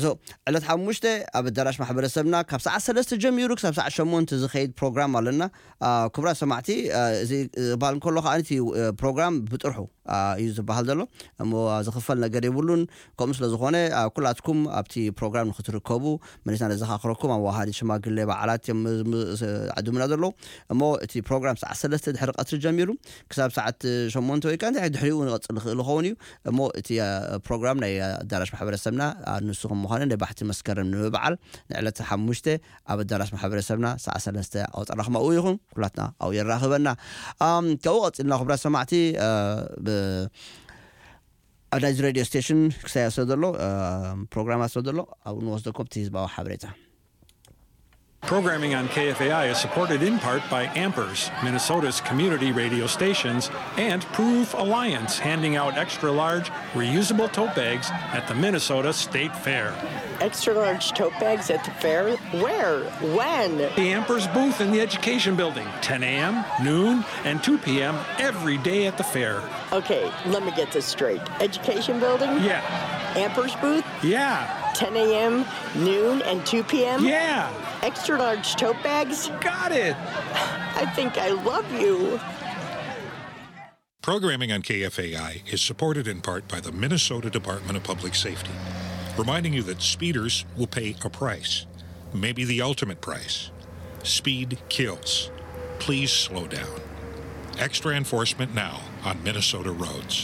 So ዕለት ሓሙሽተ ኣብ ኣዳራሽ ማሕበረሰብና ካብ ሰዓት ሰለስተ ጀሚሩ ክሳብ ሰዓት ሸሞንተ ዝኸይድ ፕሮግራም ኣለና። አ፣ ክቡራት ሰማዕቲ፣ አ፣ እዚ፣ እ፣ ክበሃል እንከሎ ከኣ እቲ፣ እ፣ ፕሮግራም ብጥርሑ፣ አ፣ እዩ ዝበሃል ዘሎ። እሞ ዝኽፈል ነገር የብሉን። ከምኡ ስለ ዝኾነ፣ አ፣ ኩላትኩም ኣብቲ ፕሮግራም ንክትርከቡ መሊስና ነዘኻኽረኩም። ኣዋሃዲ ሽማግሌ በዓላት እዮም ም-፣ ም-፣ ስ-፣ ዓድምና ዘለዉ። እሞ እቲ ፕሮግራም ሰዓት ሰለስተ ድሕሪ ቀትሪ ጀሚሩ ክሳብ ሰዓት ሸሞንተ ወይ ከኣ እንታይ ድሕሪኡ ንቐጽል ንኽእል ይኸውን እዩ። እሞ እቲ፣ አ፣ ፕሮግራም ናይ ኣዳራሽ ማሕበረሰብና፣ አ፣ ንስኹም ምዃኑ ናይ ባሕቲ መስከረም ንምብዓል ንዕለት ሓሙሽተ ኣብ ኣዳራሽ ማሕበረሰብና ሰዓት ሰለስተ ኣውጠራኹም ኣብኡ ይኹን ኩላትና ኣብኡ የራኽበና። ኣም፣ ካብኡ ቀጺልና ክቡራት ሰማዕቲ፣ አ፣ ብ-፣ ኣብ ናይዚ ሬድዮ ስቴሽን ክሳያ ስለ ዘሎ፣ አ፣ ፕሮግራማት ስለ ዘሎ ኣብኡ ንወስደኩም እቲ ህዝባዊ ሓበሬታ። Programming on K F A I is supported in part by Ampers, Minnesota's community radio stations, and Proof Alliance, handing out extra large, reusable tote bags at the Minnesota State Fair. Extra large tote bags at the fair? Where? When? The Ampers booth in the Education Building, ten a m, noon, and two p m every day at the fair. Okay, let me get this straight. Education Building? Yeah. Ampers booth? Yeah. ten a m, noon, and two p m? Yeah. Extra large tote bags? Got it. I think I love you. Programming on K F A I is supported in part by the Minnesota Department of Public Safety, reminding you that speeders will pay a price, maybe the ultimate price. Speed kills. Please slow down. Extra enforcement now on Minnesota roads.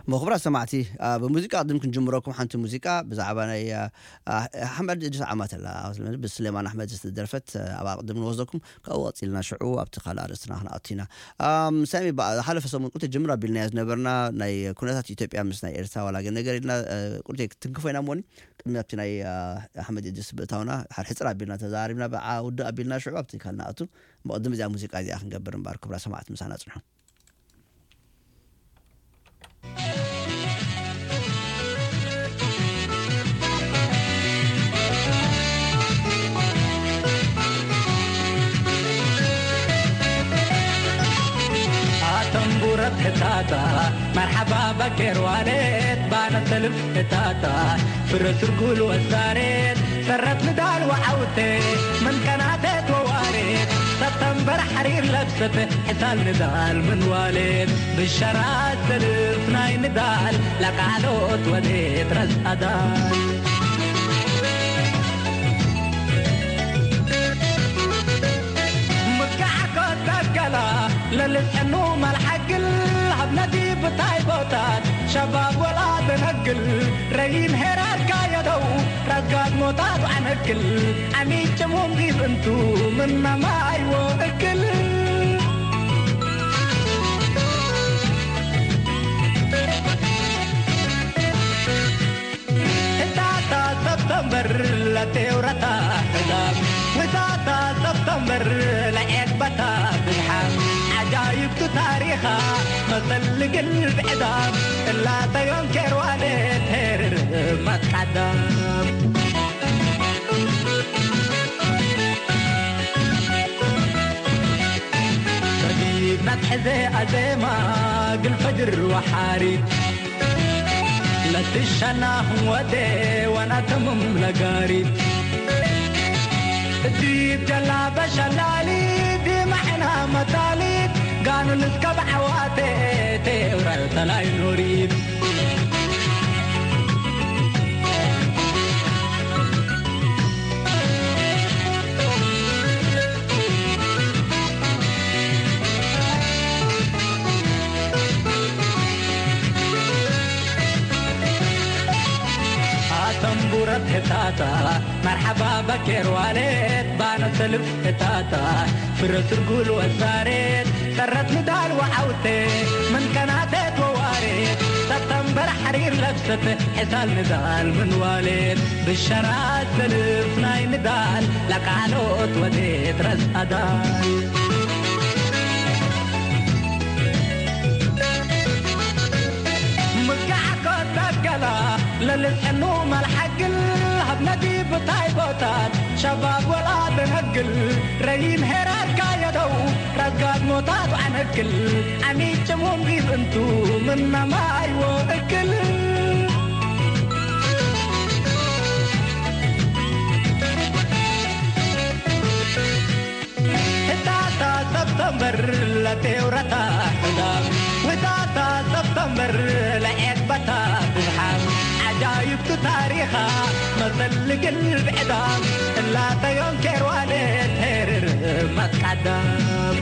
እሞ ክቡራት ሰማዕቲ፣ አ፣ ብሙዚቃ ቅድም ክንጅምረኩም ሓንቲ ሙዚቃ ብዛዕባ ናይ፣ አ፣ አ፣ ኣሕመድ እድሪስ ዓማተላ፣ ብስሌማን ኣሕመድ ዝተደርፈት፣ አ፣ ኣብኣ ቅድም ንወስደኩም፣ ካብኡ ቀጺልና ሽዑ ኣብቲ ካልእ ኣርእስትና ክንኣቱ ኢና። ኣም፣ ሳሚ፣ ብኣ-፣ ዝሓለፈ ሰሙን ቁልቲ ጅምር ኣቢልናዮ ዝነበርና ናይ ኩነታት ኢትዮጵያ ምስ ናይ ኤርትራ ዋላ ገለ ነገር ኢልና፣ አ፣ ቁልቲ ክትንክፎ ኢና እሞኒ፣ ቅድሚ ኣብቲ ናይ፣ አ፣ ኣሕመድ እድሪስ ብእታውና፣ ሓድ ሕጽር ኣቢልና ተዛሪብና፣ ብዓ ውድእ ኣቢልና ሽዑ ኣብቲ ካልእ ንኣቱ። እሞ ቅድም እዚኣ ሙዚቃ እዚኣ ክንገብር እምበር፣ ክቡራት ሰማዕቲ ምሳና ጽንሑ። ኣተንቡረት ሕታታ፣ መርሓባ በኬር ዋሌት፣ ባነ ሰልፍ ሕታታ፣ ፍረ ስርጉል ወሳሬት፣ ሰረት ንዳል ወዓውቴ፣ ምን ከናቴት ወዋሬት፣ ሰተንበር ሓሪር ለብሰት፣ ሕሳል ንዳል ምን ዋሌት፣ ብሸራ ሰልፍ ናይ ንዳል፣ ለቃሎት ወዴት ረዝኣዳል። ምጋዕ ኮታ ገላ፣ ለልጽዕኑ መልሓግል፣ ሃብ ነዲ ብታይ ቦታት፣ ሸባብ ወላ ደነግል፣ ረይን ሄራር ካየደው፣ ረጋድ ሞታት ዓነግል፣ ዓሚጭ ሙንጊብ እንቱ፣ ምናማይዎ እክል። ህታታ ሰብተምበር ለቴውረታ ሕዳም፣ ህታታ ሰብተምበር ለዔግበታ ብዝሓ፣ ዓጃይብቱ ታሪኻ መሰል ልግል ብዕዳም፣ እላተዮም ኬርዋለ ቴርር መትቃዳም። ረጊብ ናትሐዘ ኣዜማ ግል ፈጅር ወሓሪት፣ ትሸናኹም ወዴ ዋናተምም ነጋሪት፣ እቲ ጀላበ ሸላሊት፣ ማዕና መታሊት፣ ጋኑን እስከ ብዓዋቴ፣ ቴውረ ተላይ ኖሪት። ኣተንቡረት ህታታ መርሓባ በኬር ዋሌት ባነ ሰልፍ ህታታ ፍረ ስርጉል ወሳሬት ሰረት ንዳል ወዓውቴ ምን ከናቴት ወዋሬት ሰተንበር ሓሪር ለብሰት ሕሳል ንዳል ምን ዋሌት ብሸራት ሰልፍ ናይ ንዳል ለቃሎት ወዴት ረስ ኣዳል። ምጋዕ ኮታ ገላ ለልጽዕኑ መልሓግል ሃብነቲ ብታይ ቦታት ሸባብ ወላ ደነግል ረይን ሄራርካ የደው ረጋድ ሞታት ኣነግል ኣሚጭሙም ቢብ እንቱ ምናማይ ወእግል። ህታታ ሰብተምበር ለቴውረታ ሕዳም ህታታ ሰብተምበር ለዔቅበታ ብዝሓም ዓጃይብቲ ታሪኻ መሰል ልግል ብዕዳም እላተዮም ኬርዋሌ ቴርር መትቃዳም።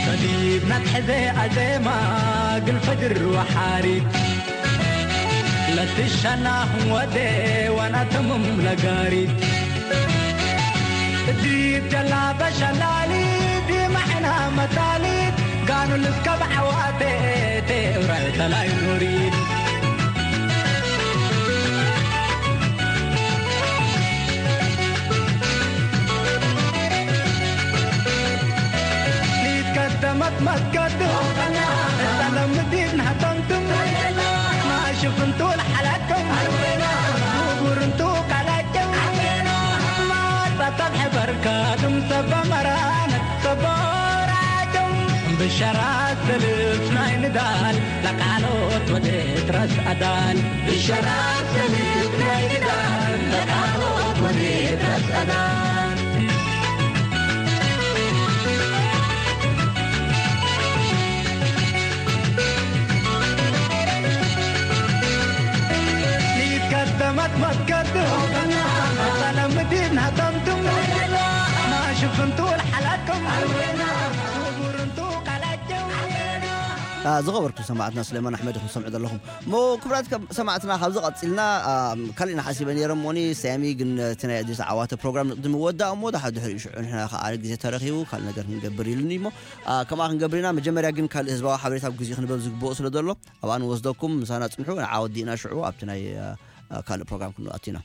ሰዲድ መትሐዘ ኣዜማ ግል ፈጅር ወሓሪት ለትሸናኹም ወዴ ዋናተምም ነጋሪት እዲት ጀላበ ሸላሊት ማዕና መታሊት ጋኑል እስከ ብዓዋቴ ቴውረ ተላይ ኑሪት። ሊት ቀደመት መስገድ እሳለም ምዲድ ናህተንትም ማሽፍንቱ ለሓላቅም ጉጉርንቱ ካላቅም ማጸተብ ሕበርካ ድም ሰበ መራነት ሰቦራቅም ብሸራት ሰልፍ ናይ ንዳል ለቃሎት ወዴት ረስ ኣዳል ብሸራት ሰልፍ ናይ ንዳል ለቃሎት ወዴት ረስ ኣዳል። ሊት ቀደመት መስገድ ሰላም ምዲድ ናተምትም ማሽፍንቱ ለሓላቅም ጉጉርንቱ ካላቅም። ዝኸበርኩም ሰማዕትና፣ ስሌማን ኣሕመድ ኢኹም ትሰምዑ ዘለኹም። እሞ ክቡራት ከም-፣ ሰማዕትና፣ ካብዚ ቀጺልና፣ ኣም፣ ካልእ ኢና ሓሲበ ነይረ እሞኒ፣ ሰያሚ ግን እቲ ናይ ኣዲስ ዓዋተ ፕሮግራም ንቕድሚ ወዳእ እሞ፣ ድሓር ድሕሪኡ ሽዑ ንሕና ከኣ ግዜ ተረኺቡ ካልእ ነገር ክንገብር ኢሉኒ እሞ፣ ኣ፣ ከምኣ ክንገብር ኢና። መጀመርያ ግን ካልእ ህዝባዊ ሓበሬታ ኣብ ግዜኡ ክንበብ ዝግብኦ ስለ ዘሎ፣ ኣብኣ ንወስደኩም፣ ምሳና ጽንሑ፣ ንዓ ወዲእና ሽዑ ኣብቲ ናይ፣ ኣ፣ ኣ፣ ካልእ ፕሮግራም ክንኣቱ ኢና።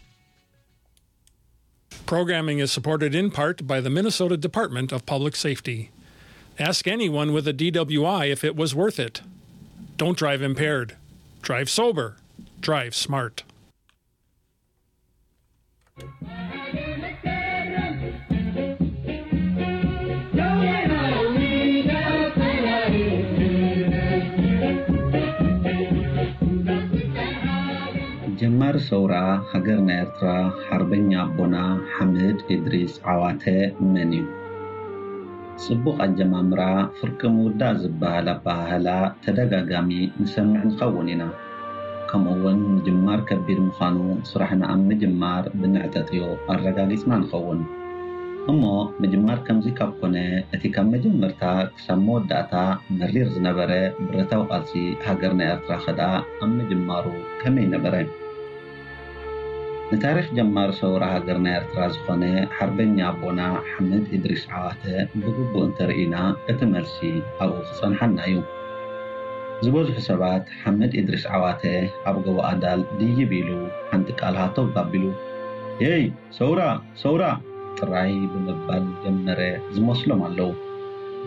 Programming is supported in part by the Minnesota Department of Public Safety. Ask anyone with a D W I if it was worth it. Don't drive impaired. Drive sober. Drive smart. ጀማሪ ሰውራ ሃገርና ኤርትራ ሓርበኛ ኣቦና ሓምድ ኢድሪስ ዓዋተ መን እዩ? ጽቡቕ ኣጀማምራ ፍርቂ ምውዳእ ዝበሃል ኣበሃህላ ተደጋጋሚ ንሰምዕ ንኸውን ኢና። ከምኡ'ውን ምጅማር ከቢድ ምዃኑ ስራሕና ኣብ ምጅማር ብንዕጠጥዮ ኣረጋጊጽና ንኸውን። እሞ ምጅማር ከምዚ ካብ ኮነ፣ እቲ ካብ መጀመርታ ክሳብ መወዳእታ መሪር ዝነበረ ብረታዊ ቃልሲ ሃገርና ኤርትራ ኸኣ ኣብ ምጅማሩ ከመይ ነበረ? ንታሪኽ ጀማሪ ሰውራ ሃገርና ኤርትራ ዝኾነ ሓርበኛ ኣቦና ሓምድ ኢድሪስ ዓዋተ ብግቡእ እንተርኢና፣ እቲ መልሲ ኣብኡ ክጸንሓና እዩ። ዝበዝሑ ሰባት ሓምድ ኢድሪስ ዓዋተ ኣብ ጎቦ ኣዳል ድይብ ኢሉ ሓንቲ ቃል ሃተው ኣቢሉ፣ "ሄይ! ሰውራ! ሰውራ!" ጥራይ ብምባል ዝጀመረ ዝመስሎም ኣለዉ።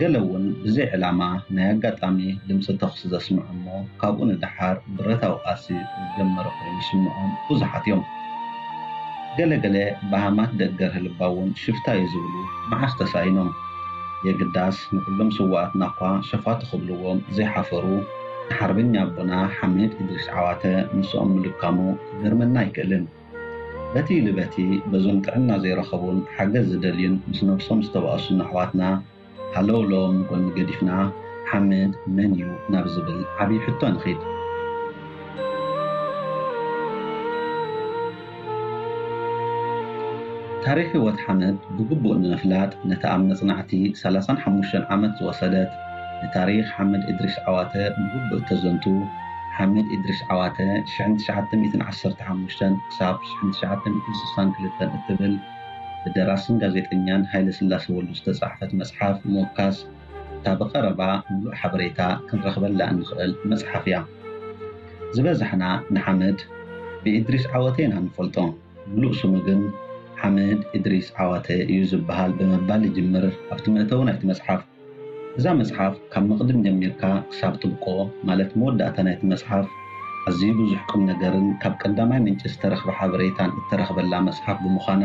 ገለ እውን ብዘይ ዕላማ ናይ ኣጋጣሚ ድምፂ ተኹሲ ዘስምዑ እሞ ካብኡ ንደሓር ብረታዊ ቃልሲ ዝጀመረ ኮይኑ ዝስምዖም ብዙሓት እዮም። ገለ ገለ በሃማት ደገር ህልባ እውን ሽፍታ እዩ ዝብሉ መዓስ ተሳኢኖም። የግዳስ ንኹሎም ስውኣትና እኳ ሸፋቱ ክብልዎም ዘይሓፈሩ ንሓርበኛ ኣቦና ሓምድ እድሪስ ዓዋተ ምስኦም ምልካሙ ክገርመና ኣይክእልን። በቲ ኢሉ በቲ በዞም ጥዕና ዘይረኸቡን ሓገዝ ዝደልዩን ምስ ነብሶም ዝተባእሱን ኣሕዋትና ሃለውለዎም ንጎኒ ገዲፍና ሓምድ መን እዩ ናብ ዝብል ዓብዪ ሕቶ ንኺድ። ታሪኽ ህይወት ሓምድ ብግቡእ ንምፍላጥ ነታ ኣብ መጽናዕቲ ሰላሳን ሓሙሽተን ዓመት ዝወሰደት ንታሪኽ ሓምድ እድሪስ ዓዋተ ብግቡእ እተዘንቱ ሓምድ እድሪስ ዓዋተ ሽሕን ትሽዓተ ሚእትን ዓሰርተ ሓሙሽተን ክሳብ ሽሕን ትሽዓተ ሚእትን ስሳን ክልተን እትብል ብደራስን ጋዜጠኛን ሃይለ ስላሴ ወልዱ ዝተጻሕፈት መጽሓፍ ምውካስ እታ ብቐረባ ምሉእ ሓበሬታ ክንረኽበላ እንኽእል መጽሓፍ እያ። ዝበዛሕና ንሓምድ ብእድሪስ ዓወተ ኢና ንፈልጦ። ምሉእ ስሙ ግን ሓምድ እድሪስ ዓዋተ እዩ ዝበሃል ብምባል ይጅምር። ኣብቲ መእተዊ ናይቲ መጽሓፍ እዛ መጽሓፍ ካብ መቕድም ጀሚርካ ክሳብ ጥብቆ ማለት መወዳእታ ናይቲ መጽሓፍ ኣዝዩ ብዙሕ ቁም ነገርን ካብ ቀዳማይ ምንጪ ዝተረኽበ ሓበሬታን እተረኽበላ መጽሓፍ ብምዃና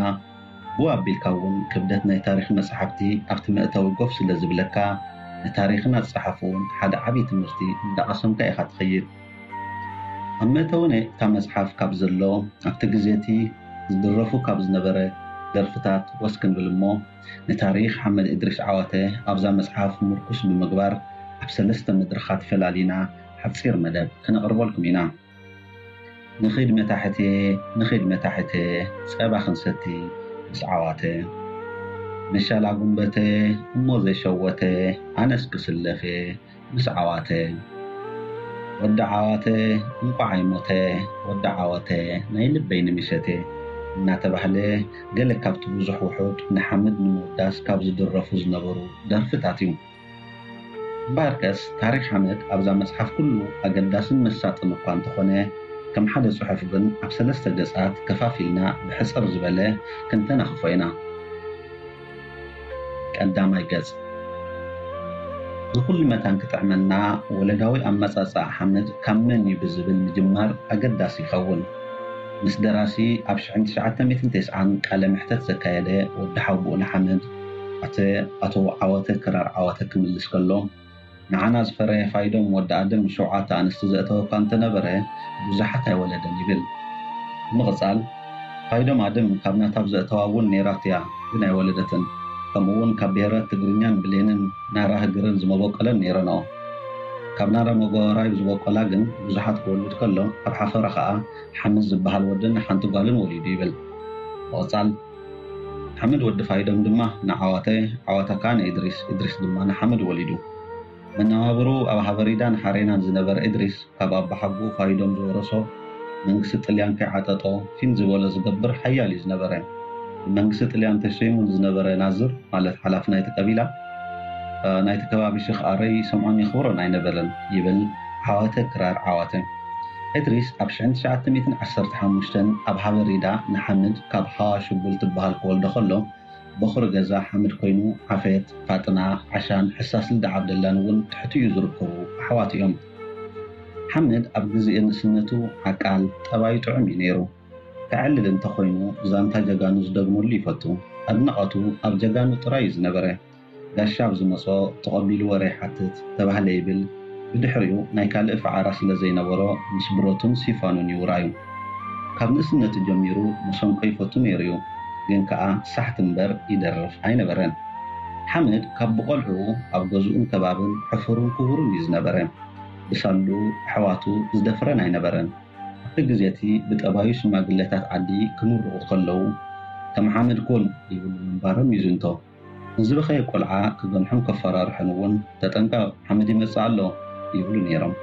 ብኡ ኣቢልካ እውን ክብደት ናይ ታሪኽ መጽሓፍቲ ኣብቲ መእተዊ ጎፍ ስለ ዝብለካ ንታሪኽን ኣጻሓፍኡን ሓደ ዓብዪ ትምህርቲ እንዳቐሰምካ ኢኻ ትኸይድ። ኣብ መእተዊ ናይ እታ መጽሓፍ ካብ ዘሎ ኣብቲ ግዜ እቲ ዝድረፉ ካብ ዝነበረ ደርፍታት ወስ ክንብል እሞ ንታሪኽ ሓመድ እድሪስ ዓዋተ ኣብዛ መጽሓፍ ምርኩስ ብምግባር ኣብ ሰለስተ መድረኻት ፈላሊና ሓጺር መደብ ከነቕርበልኩም ኢና። ንኺድ መታሕቴ ንኺድ መታሕቴ ጸባ ክንሰቲ ምስ ዓዋተ መሻላ ጉንበተ እሞ ዘይሸወተ ኣነስ ክስለፍ እየ ምስ ዓዋተ ወዲ ዓዋተ እንቋዕ ኣይሞተ ወዲ ዓወተ ናይ ልበይ ንምሸቴ እናተባህለ ገለ ካብቲ ብዙሕ ውሑድ ንሓምድ ንምውዳስ ካብ ዝድረፉ ዝነበሩ ደርፍታት እዩ። እምበኣርከስ ታሪኽ ሓመድ ኣብዛ መጽሓፍ ኩሉ ኣገዳስን መሳጥን እኳ እንተኾነ ከም ሓደ ጽሑፍ ግን ኣብ ሰለስተ ገጻት ከፋፊልና ብሕጽር ዝበለ ክንተናኽፎ ኢና። ቀዳማይ ገጽ። ንኹሉ መታን ክጥዕመና ወለዳዊ ኣመጻጽኣ ሓመድ ካብ መን እዩ ብዝብል ምጅማር ኣገዳሲ ይኸውን። ምስ ደራሲ ኣብ ሽሕን ትሽዓተ ሚእትን ተስዓን ቃለ መሕተት ዘካየደ ወዲ ሓውብኡ ንሓመድ ኣተ ኣቶ ዓወተ ክራር ዓወተ ክምልስ ከሎ ንዓና ዝፈረየ ፋይዶም ወዲ ኣደም ሸውዓተ ኣንስቲ ዘእተወ እኳ እንተነበረ ብዙሓት ኣይወለደን ይብል። ብምቕጻል ፋይዶም ኣደም ካብ ናታ ብዘእተዋ እውን ነይራት እያ ግን ኣይወለደትን። ከምኡ እውን ካብ ብሄራት ትግርኛን ብሌንን ናራ ህግርን ዝመበቆለን ነይረንኦ። ካብ ናራ መጎራይ ዝበቆላ ግን ብዙሓት ክወልድ ከሎ ኣብ ሓፈራ ከኣ ሓምድ ዝበሃል ወድን ሓንቲ ጓልን ወሊዱ ይብል። ምቕጻል ሓምድ ወዲ ፋይዶም ድማ ንዓዋተ፣ ዓዋተ ከኣ ንእድሪስ፣ እድሪስ ድማ ንሓምድ ወሊዱ። መነባብርኡ ኣብ ሃበሪዳን ሓሬናን ዝነበረ እድሪስ ካብ ኣባሓጎኡ ፋይዶም ዝወረሶ መንግስቲ ጥልያን ከይዓጠጦ ፊን ዝበሎ ዝገብር ሓያል እዩ ዝነበረ። ብመንግስቲ ጥልያን ተሸይሙ ንዝነበረ ናዝር ማለት ሓላፊ ናይቲ ቀቢላ ናይቲ ከባቢ ሽኽ ኣረይ ሰምዖን የኽብሮን ኣይነበረን ይብል ዓዋተ ክራር ዓዋተ። እድሪስ ኣብ ሽሕን ትሽዓተ ሚእትን ዓሰርተ ሓሙሽተን ኣብ ሃበሪዳ ንሓምድ ካብ ሃዋ ሽቡል ትበሃል ክወልዶ ከሎ በኹሪ ገዛ ሓምድ ኮይኑ ዓፌት፣ ፋጥና፣ ዓሻን ሕሳስ ልደ ዓብደላን እውን ትሕቱ እዩ ዝርከቡ ኣሕዋት እዮም። ሓምድ ኣብ ግዜ ንእስነቱ ዓቃል፣ ጠባዩ ጥዑም እዩ ነይሩ። ከዕልል እንተኾይኑ ዛንታ ጀጋኑ ዝደግመሉ ይፈቱ። ኣድናቐቱ ኣብ ጀጋኑ ጥራይ እዩ ዝነበረ። ጋሻ ኣብ ዝመጾ ተቐቢሉ ወረ ይሓትት ተባህለ ይብል። ብድሕሪኡ ናይ ካልእ ፈዓራ ስለ ዘይነበሮ ምስ ብረቱን ሲፋኑን ይውራዩ። ካብ ንእስነቱ ጀሚሩ መሰንቆ ይፈቱ ነይሩ እዩ፣ ግን ከኣ ሳሕቲ እምበር ይደርፍ ኣይነበረን። ሓመድ ካብ ብቆልዕኡ ኣብ ገዝኡን ከባብን ሕፉርን ክቡርን እዩ ዝነበረ። ብሳሉ ኣሕዋቱ ዝደፍረን ኣይነበረን። ኣብቲ ግዜ እቲ ብጠባዩ ሽማግለታት ዓዲ ክምርቑ ከለዉ ከም ሓመድ ኩን ይብሉ ምንባሮም ይዝንቶ። ንዝበኸየ ቆልዓ ክገንሖን ከፈራርሖን እውን ተጠንቀቕ ሓመድ ይመጽእ ኣሎ ይብሉ ነይሮም።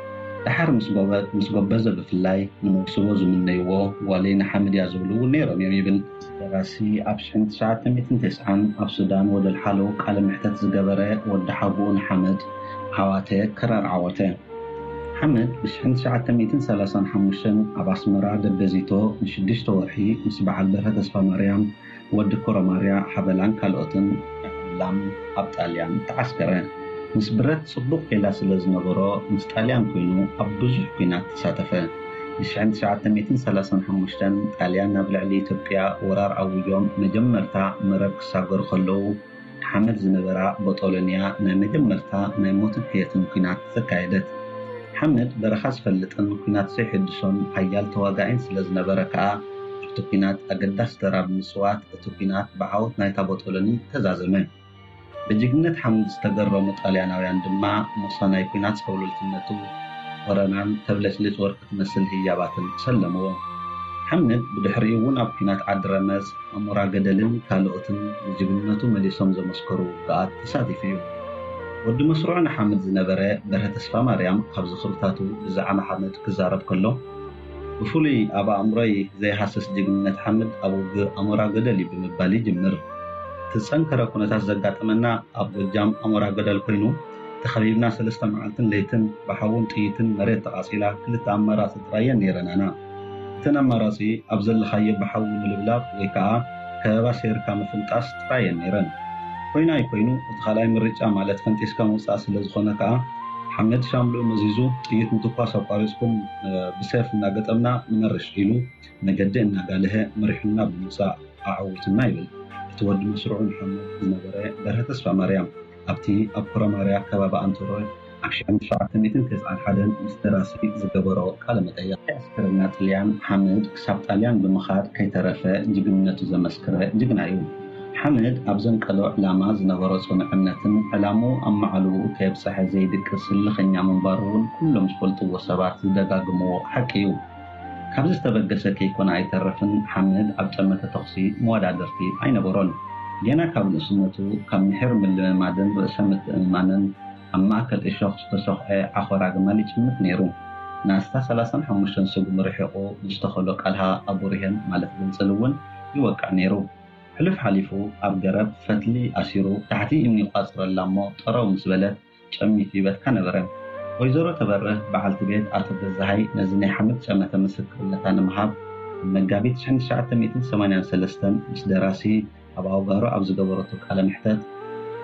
ደሓር ምስ ጎበ- ምስ ጎበዘ ብፍላይ ንመውስቦ ዝምነይዎ ጓለይ ንሓመድ እያ ዝብሉ እውን ነይሮም እዮም ይብል። ደራሲ ኣብ ሽሕን ትሽዓተ ሚእትን ተስዓን ኣብ ሱዳን ወደል ሓሎ ቃለ መሕተት ዝገበረ ወዲ ሓጎኡ ንሓመድ ዓዋተ ክራር ዓወተ። ሓመድ ብሽሕን ትሽዓተ ሚእትን ሰላሳን ሓሙሽተን ኣብ ኣስመራ ደበዚቶ ንሽዱሽተ ወርሒ ምስ በዓል በርሀ ተስፋማርያም ወዲ ኮረማርያ ሓበላን ካልኦትን ዕላም ኣብ ጣልያን ተዓስከረ። ምስ ብረት ጽቡቕ ኬላ ስለ ዝነበሮ ምስ ጣልያን ኮይኑ ኣብ ብዙሕ ኲናት ተሳተፈ። ብሽሕን ትሽዓተ ሚእትን ሰላሳን ሓሙሽተን ጣልያን ናብ ልዕሊ ኢትዮጵያ ወራር ኣዊጆም መጀመርታ መረብ ክሳገሩ ከለዉ ሓመድ ዝነበራ ቦጦሎንያ ናይ መጀመርታ ናይ ሞትን ሕየትን ኲናት ዘካየደት። ሓመድ በረኻ ዝፈልጥን ኲናት ዘይሕድሶን ሓያል ተዋጋኢን ስለ ዝነበረ ከኣ ኣብቲ ኲናት ኣገዳሲ ተራ ብምጽዋት እቲ ኲናት ብዓወት ናይታ ቦጦሎኒ ተዛዘመ። ብጅግነት ሓመድ ዝተገረሙ ጣልያናውያን ድማ ሞሳ ናይ ኲናት ሰብለልትነቱ ወረናን ተብለጭልጭ ወርቂ ትመስል ህያባትን ሰለምዎ። ሓመድ ብድሕሪኡ እውን ኣብ ኲናት ዓዲ ረመጽ፣ ኣሞራ ገደልን ካልኦትን ብጅግንነቱ መሊሶም ዘመስከሩ ውግኣት ተሳቲፉ እዩ። ወዲ መስርዑ ንሓመድ ዝነበረ በርሀ ተስፋማርያም ካብ ዝኽርታቱ ብዛዕባ ሓመድ ክዛረብ ከሎ፣ ብፍሉይ ኣብ ኣእምሮይ ዘይሃስስ ጅግንነት ሓመድ ኣብ ውግእ ኣሞራ ገደል እዩ ብምባል ይጅምር። እቲ ዝጸንከረ ኩነታት ዘጋጠመና ኣብ ጎጃም ኣሞራ ገደል ኮይኑ፣ ተኸቢብና ሰለስተ መዓልትን ለይትን ብሓውን ጥይትን መሬት ተቓጺላ ክልተ ኣማራጺ ጥራየን ነይረናና። እተን ኣማራጺ ኣብ ዘለኻዮ ብሓዊ ምልብላብ ወይ ከኣ ከበባ ሰይርካ ምፍንጣስ ጥራየን ነይረን። ኮይኑ ኣይኮይኑ እቲ ካልኣይ ምርጫ ማለት ፈንጢስካ ምውጻእ ስለ ዝኾነ ከኣ ሓመድ ሻምልኡ መዚዙ ጥይት ምትኳስ ኣቋሪጽኩም ብሴፍ እናገጠምና ንመርሽ ኢሉ መገዲ እናጋልሀ መሪሑና ብምውጻእ ኣዐዊቱና ይብል እቲ ወዲ መስርዑ ንሓመድ ዝነበረ በርሀ ተስፋማርያም። ኣብቲ ኣብ ኮረማርያ ከባቢ ኣንተሮይ ኣብ ሺሕ ትሽዓተ ሚእትን ተስዓን ሓደን ምስ ደራሲ ዝገበሮ ቃለ መጠይቕ። ዕስክርና ጥልያን ሓመድ ክሳብ ጣልያን ብምኻድ ከይተረፈ ጅግንነቱ ዘመስከረ ጅግና እዩ። ሓመድ ኣብ ዘንቀሎ ዕላማ ዝነበሮ ጽኑዕነትን ዕላምኡ ኣብ መዓልኡ ከየብጸሐ ዘይድቅስ ህልኸኛ ምንባሩ እውን ኩሎም ዝፈልጥዎ ሰባት ዝደጋግምዎ ሓቂ እዩ። ካብ ዝተበገሰ ከይኮነ ኣይተርፍን ሓመድ ኣብ ጠመተ ተኹሲ መወዳድርቲ ኣይነበሮን። ገና ካብ ንእስነቱ ካብ ምሒር ምልምማድን ርእሰ ምትእምማንን ኣብ ማእከል እሾኽ ዝተሰኹዐ ዓኾር ኣግማል ይጭምት ነይሩ። ንኣስታት ሰላሳን ሓሙሽተን ስጉሚ ርሒቑ ንዝተኸሎ ቃልሃ ኣቡሪሄን ማለት ግንጽል እውን ይወቅዕ ነይሩ። ሕሉፍ ሓሊፉ ኣብ ገረብ ፈትሊ ኣሲሩ ታሕቲ እምኒ ይቋጽረላ እሞ ጠረው ምስ በለት ጨሚቱ ይበትካ ነበረ። ወይዘሮ ተበርህ በዓልቲ ቤት ኣቶ ገዛሃይ ነዚ ናይ ሓመድ ጨመተ ምስክርነታ ንምሃብ ኣብ መጋቢት ሽሕን ትሽዓተ ሚእትን ሰማንያን ሰለስተን ምስ ደራሲ ኣብ ኣውጋሮ ኣብ ዝገበረቶ ቃለ መሕተት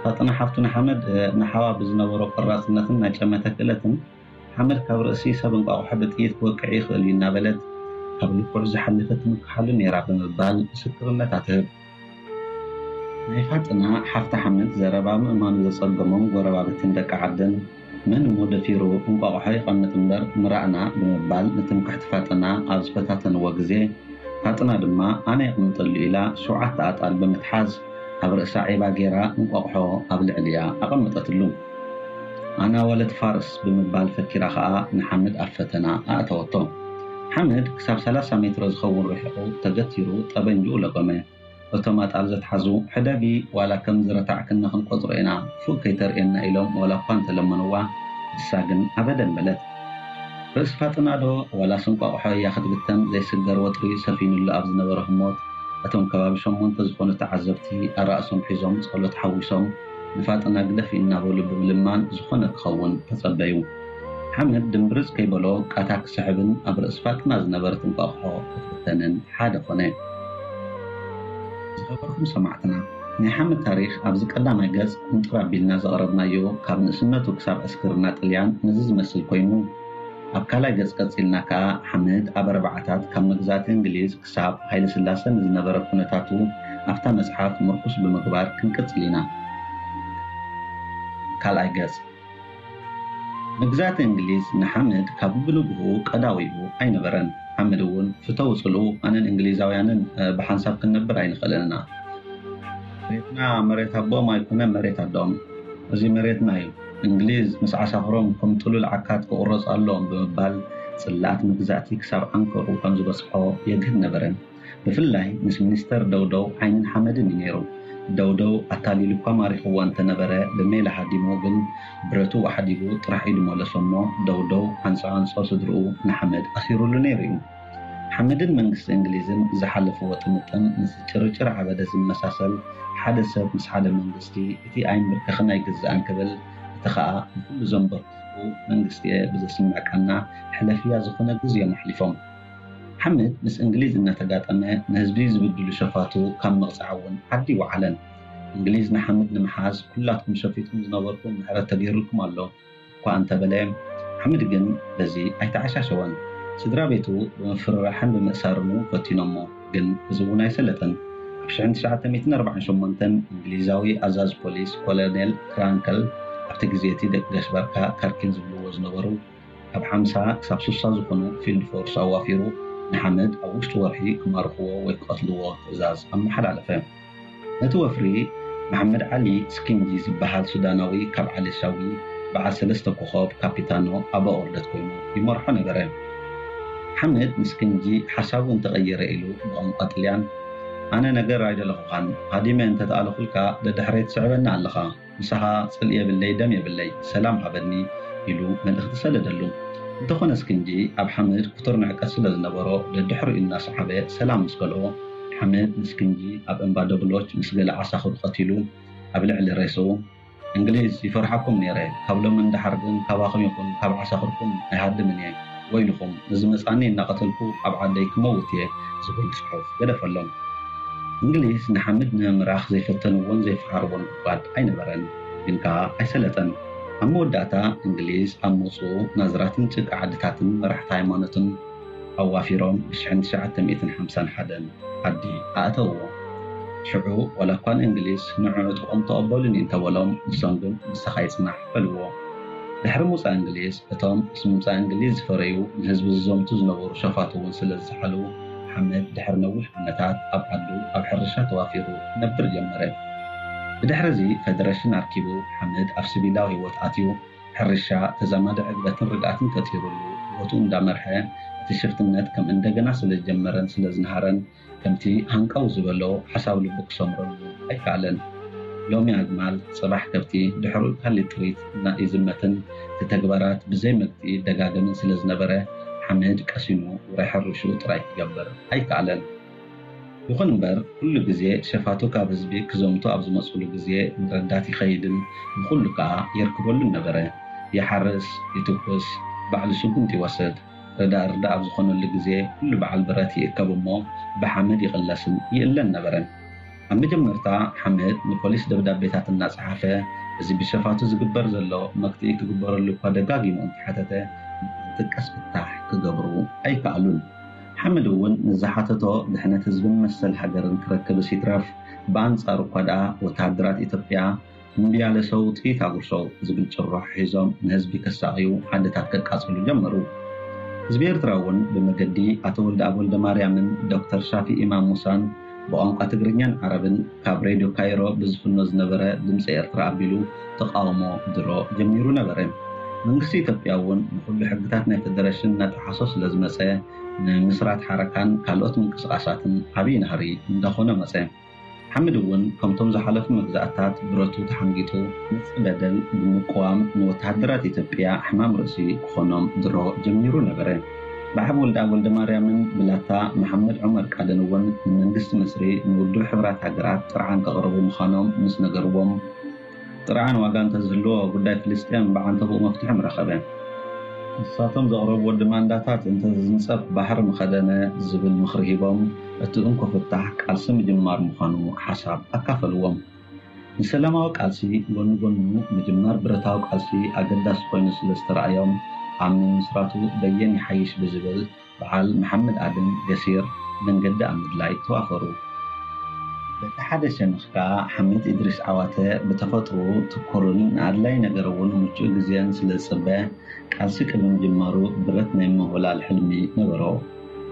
ፋጥና ሓፍቱ ንሓመድ ንሓዋ ብዝነበሮ ቆራጽነትን ናይ ጨመተ ክእለትን ሓመድ ካብ ርእሲ ሰብ እንቋቑሖ ብጥይት ክወቅዕ ይኽእል እዩ እናበለት ካብ ልክዑ ዝሓለፈ ትምክሓሉ ነይራ ብምባል ምስክርነታ ትህብ። ናይ ፋጥና ሓፍቲ ሓመድ ዘረባ ምእማኑ ዘጸገሞም ጎረባብትን ደቂ ዓድን መን እሞ ደፊሩ እንቋቑሖ ይቐምጥ እምበር ምራእና ብምባል ንትምክሕቲ ፋጥና ኣብ ዝፈታተንዎ ግዜ ፋጥና ድማ ኣነ የቕምጠሉ ኢላ ሸውዓተ ኣጣል ብምትሓዝ ኣብ ርእሳ ዒባ ገይራ እንቋቑሖ ኣብ ልዕሊኣ ኣቐመጠትሉ። ኣና ወለት ፋርስ ብምባል ፈኪራ ኸኣ ንሓመድ ኣብ ፈተና ኣእተወቶ። ሓመድ ክሳብ ሰላሳ ሜትሮ ዝኸውን ርሒቑ ተገቲሩ ጠበንጅኡ ለጎመ። እቶም ኣጣል ዘትሓዙ ሕደጊ ዋላ ከም ዝረታዕክና ክንቆጽሮ ኢና ፉእ ከይተርእየና ኢሎም ዋላ እኳ እንተለመንዋ ንሳ ግን ኣበደን በለት። ርእሲ ፋጥና ዶ ዋላስ እንቋቑሖ እያ ክትብተን ዘይስገር ወጥሪ ሰፊኑሉ ኣብ ዝነበረ ህሞት እቶም ከባቢ ሸሞንተ ዝኾኑ ተዓዘብቲ ኣራእሶም ሒዞም ጸሎት ሓዊሶም ንፋጥና ግደፊ እናበሉ ብምልማን ዝኾነ ክኸውን ተጸበዩ። ሓመድ ድምብርጽ ከይበሎ ቃታ ክስሕብን ኣብ ርእሲ ፋጥና ዝነበረት እንቋቑሖ ክትብተንን ሓደ ኮነ። ዝኸበርኩም ሰማዕትና ናይ ሓመድ ታሪኽ ኣብዚ ቀዳማይ ገጽ ቁንጥር ኣቢልና ዘቕረብናዮ ካብ ንእስነቱ ክሳብ ዕስክርና ጥልያን ነዚ ዝመስል ኮይኑ ኣብ ካልኣይ ገጽ ቀጺልና ከኣ ሓመድ ኣብ ኣርባዓታት ካብ መግዛእቲ እንግሊዝ ክሳብ ሃይለስላሰ ንዝነበረ ኩነታቱ ኣብታ መጽሓፍ ምርኩስ ብምግባር ክንቅጽል ኢና። ካልኣይ ገጽ። መግዛእቲ እንግሊዝ ንሓመድ ካብ ብንግህኡ ቀዳዊኡ ኣይነበረን። ሓመድ እውን ፍተው ጽልኡ ኣነን እንግሊዛውያንን ብሓንሳብ ክንነብር ኣይንኽእልን ኢና። መሬትና መሬት ኣቦኦም ኣይኮነ መሬት ኣዶኦም፣ እዚ መሬትና እዩ። እንግሊዝ ምስ ዓሳኽሮም ከም ጥሉል ዓካት ክቑረጽ ኣለዎም ብምባል ጽላኣት መግዛእቲ ክሳብ ዓንከሩ ከም ዝበጽሖ የግህድ ነበረ። ብፍላይ ምስ ሚኒስተር ደውደው ዓይንን ሓመድን እዩ ነይሩ። ደውደው ኣታሊሉ እኳ ማሪኽዎ እንተነበረ ብሜላ ሃዲሙ ግን ብረቱ ኣሕዲጉ ጥራሕ እዩ ድመለሶ እሞ ደውደው ኣንጻ ኣንጾ ስድርኡ ንሓመድ ኣሲሩሉ ነይሩ እዩ። ሓመድን መንግስቲ እንግሊዝን ዝሓለፍዎ ጥምጥም ምስ ጭርጭር ዓበደ ዝመሳሰል ሓደ ሰብ ምስ ሓደ መንግስቲ እቲ ኣይምብርከኽን ኣይግዛእን ክብል እቲ ኸኣ ንኹሉ ዘንበርክኹ መንግስቲ እየ ብዘስምዕ ቃና ሕለፍያ ዝኾነ ግዜ እዮም ኣሕሊፎም። ሓመድ ምስ እንግሊዝ እናተጋጠመ ንህዝቢ ዝብድሉ ሸፋቱ ካብ ምቕጻዕ እውን ዓዲ ይወዓለን። እንግሊዝ ንሓመድ ንምሓዝ ኩላትኩም ሸፊጥኩም ዝነበርኩም ምሕረት ተገይሩልኩም ኣሎ እኳ እንተበለ ሓመድ ግን በዚ ኣይተዓሻሸወን። ስድራ ቤቱ ብምፍርራሕን ብምእሳርን እውን ፈቲኖሞ፣ ግን እዚ እውን ኣይሰለጠን። ኣብ ሽሕን ትሽዓተ ሚእትን ኣርባዓን ሸሞንተን እንግሊዛዊ ኣዛዚ ፖሊስ ኮሎኔል ክራንከል፣ ኣብቲ ግዜ እቲ ደቂ ገሽበርካ ካርኪን ዝብልዎ ዝነበሩ ካብ ሓምሳ ክሳብ ስሳ ዝኾኑ ፊልድ ፎርስ ኣዋፊሩ ንሓመድ ኣብ ውሽጢ ወርሒ ክማርኽዎ ወይ ክቐትልዎ ትእዛዝ ኣመሓላለፈ። ነቲ ወፍሪ መሓመድ ዓሊ ስኪንጂ ዝበሃል ሱዳናዊ ካብ ዓሊ ሻዊ በዓል ሰለስተ ኮኾብ ካፒታኖ ኣባ ኦርደት ኮይኑ ይመርሖ ነበረ። ሓመድ ንስኪንጂ ሓሳቡ እንተቐየረ ኢሉ ብቋንቋ ጥልያን ኣነ ነገር ኣይደለኹኻን ሃዲመ እንተተኣለኹልካ ደድሕረይ ትስዕበኒ ኣለኻ ምሳኻ ጽልኢ የብለይ ደም የብለይ ሰላም ሃበኒ ኢሉ መልእኽቲ ሰደደሉ። እንተኾነ ስኪንጂ ኣብ ሓመድ ክቱር ንዕቀት ስለ ዝነበሮ ደድሕሪኡ እናሰሓበ ሰላም ምስ ከልኦ ሓመድ ንስኪንጂ ኣብ እምባ ደብሎች ምስ ገለ ዓሳኽሩ ቀቲሉ ኣብ ልዕሊ ሬስኡ እንግሊዝ ይፈርሓኩም ነይረ ካብ ሎሚ ንደሓር ግን ካባኹም ይኹን ካብ ዓሳኽርኩም ኣይሃድምን እየ ወይልኹም ንዝመጻኒ እናቐተልኩ ኣብ ዓደይ ክመውት እየ ዝብል ጽሑፍ ገደፈሎም። እንግሊዝ ንሓመድ ንምምራኽ ዘይፈተንዎን ዘይፈሓርዎን ጉድጓድ ኣይነበረን፣ ግን ከኣ ኣይሰለጠን። ኣብ መወዳእታ እንግሊዝ ኣብ መጹ ናዝራትን ጭቃ ዓድታትን መራሕቲ ሃይማኖትን ኣዋፊሮም ብ ሽሕን ትሽዓተ ሚእትን ሓምሳን ሓደን ዓዲ ኣእተውዎ። ሽዑ ዋላ እኳ ንእንግሊዝ ንዑ ዕጥቆም ተቐበሉኒ እንተበሎም ንሶም ግን ምሳኻ ይጽናሕ በልዎ። ድሕሪ ምውጻእ እንግሊዝ እቶም ምስ ምምጻእ እንግሊዝ ዝፈረዩ ንህዝቢ ዝዘምቱ ዝነበሩ ሸፋቱ እውን ስለ ዝሰሓሉ ሓመድ ድሕሪ ነዊሕ ዓመታት ኣብ ዓዱ ኣብ ሕርሻ ተዋፊሩ ክነብር ጀመረ። ብድሕሪ እዚ ፈደረሽን ኣርኪቡ ሓመድ ኣብ ስቪላዊ ህይወት ኣትዩ ሕርሻ ተዛማዲ ዕግበትን ርግኣትን ፈጢሩሉ ህይወቱ እንዳመርሐ እቲ ሽፍትነት ከም እንደገና ስለ ዝጀመረን ስለ ዝነሃረን ከምቲ ሃንቀው ዝበሎ ሓሳብ ልቡ ክሰምረሉ ኣይከኣለን። ሎሚ ኣግማል፣ ጽባሕ ከብቲ፣ ድሕሩ ካልእ ጥሪት እና ይዝመትን እቲ ተግባራት ብዘይ መግትኢ ይደጋገምን ስለ ዝነበረ ሓመድ ቀሲኑ ውራይ ሕርሽኡ ጥራይ ክገብር ኣይከኣለን። ይኹን እምበር ኩሉ ግዜ ሸፋቱ ካብ ህዝቢ ክዘምቱ ኣብ ዝመጽሉ ግዜ ንረዳት ይኸይድን ንኹሉ ከኣ የርክበሉን ነበረ። ይሓርስ፣ ይትኩስ፣ ባዕሉ ስጉምቲ ይወስድ። ርዳእ ርዳእ ኣብ ዝኾነሉ ግዜ ኩሉ በዓል ብረት ይእከብ እሞ ብሓመድ ይቕለስን ይእለን ነበረ። ኣብ መጀመርታ ሓመድ ንፖሊስ ደብዳቤታት እናጸሓፈ እዚ ብሸፋቱ ዝግበር ዘሎ መግትኢ ክግበረሉ እኳ ደጋጊሙ እንተሓተተ ዝጥቀስ ፍታሕ ክገብሩ ኣይከኣሉን። ሓመድ እውን ንዝሓተቶ ድሕነት ህዝብን መሰል ሃገርን ክረክብስ ይትረፍ ብኣንጻሩ እኳ ደኣ ወተሃደራት ኢትዮጵያ እምቢ ያለ ሰው ጥይት አጉርሰው ዝብል ጭርሖ ሒዞም ንህዝቢ ከሳቕዩ ዓድታት ከቃጽሉ ጀመሩ። ህዝቢ ኤርትራ እውን ብመገዲ ኣቶ ወልደኣብ ወልደማርያምን ዶክተር ሻፊ ኢማም ሙሳን ብቋንቋ ትግርኛን ዓረብን ካብ ሬድዮ ካይሮ ብዝፍኖ ዝነበረ ድምፂ ኤርትራ ኣቢሉ ተቃውሞ ድሮ ጀሚሩ ነበረ። መንግስቲ ኢትዮጵያ እውን ንኹሉ ሕግታት ናይ ፈደረሽን እናጠሓሶ ስለ ዝመፀ ንምስራት ሓረካን ካልኦት ምንቅስቃሳትን ዓብዪ ናህሪ እንዳኾነ መፀ። ሓምድ እውን ከምቶም ዝሓለፉ መግዛእታት ብረቱ ተሓንጊጡ ንፅበደል ብምቅዋም ንወተሃደራት ኢትዮጵያ ሕማም ርእሲ ክኾኖም ድሮ ጀሚሩ ነበረ። ብዓብ ወልደኣብ ወልደማርያምን ብላታ መሓመድ ዑመር ቃደን እውን ንመንግስቲ ምስሪ ንውድብ ሕብራት ሃገራት ጥርዓን ከቕርቡ ምዃኖም ምስ ነገርዎም ጥርዓን ዋጋ እንተዝህልዎ ጉዳይ ፍልስጤም ብዓንተቦኡ መፍትሒ ምረኸበ። ንሳቶም ዘቕረብዎ ድማንዳታት እንተዝንፀፍ ባሕሪ ምኸደነ ዝብል ምኽሪ ሂቦም እቲ እንኮ ፍታሕ ቃልሲ ምጅማር ምዃኑ ሓሳብ ኣካፈልዎም። ንሰላማዊ ቃልሲ ጎኒ ጎኑ ምጅማር ብረታዊ ቃልሲ ኣገዳሲ ኮይኑ ስለ ዝተረኣዮም ኣብ ምምስራቱ በየን ይሓይሽ ብዝብል በዓል መሓመድ ኣድም ገሲር መንገዲ ኣብ ምድላይ ተዋፈሩ። በቲ ሓደ ሸነኽ ከኣ ሓምድ ኢድሪስ ዓዋተ ብተፈጥርኡ ትኩርን ንኣድላይ ነገር እውን ምቹእ ግዜን ስለ ዝጽበ ቃልሲ ቅድሚ ምጅማሩ ብረት ናይ ምውህላል ሕልሚ ነበሮ።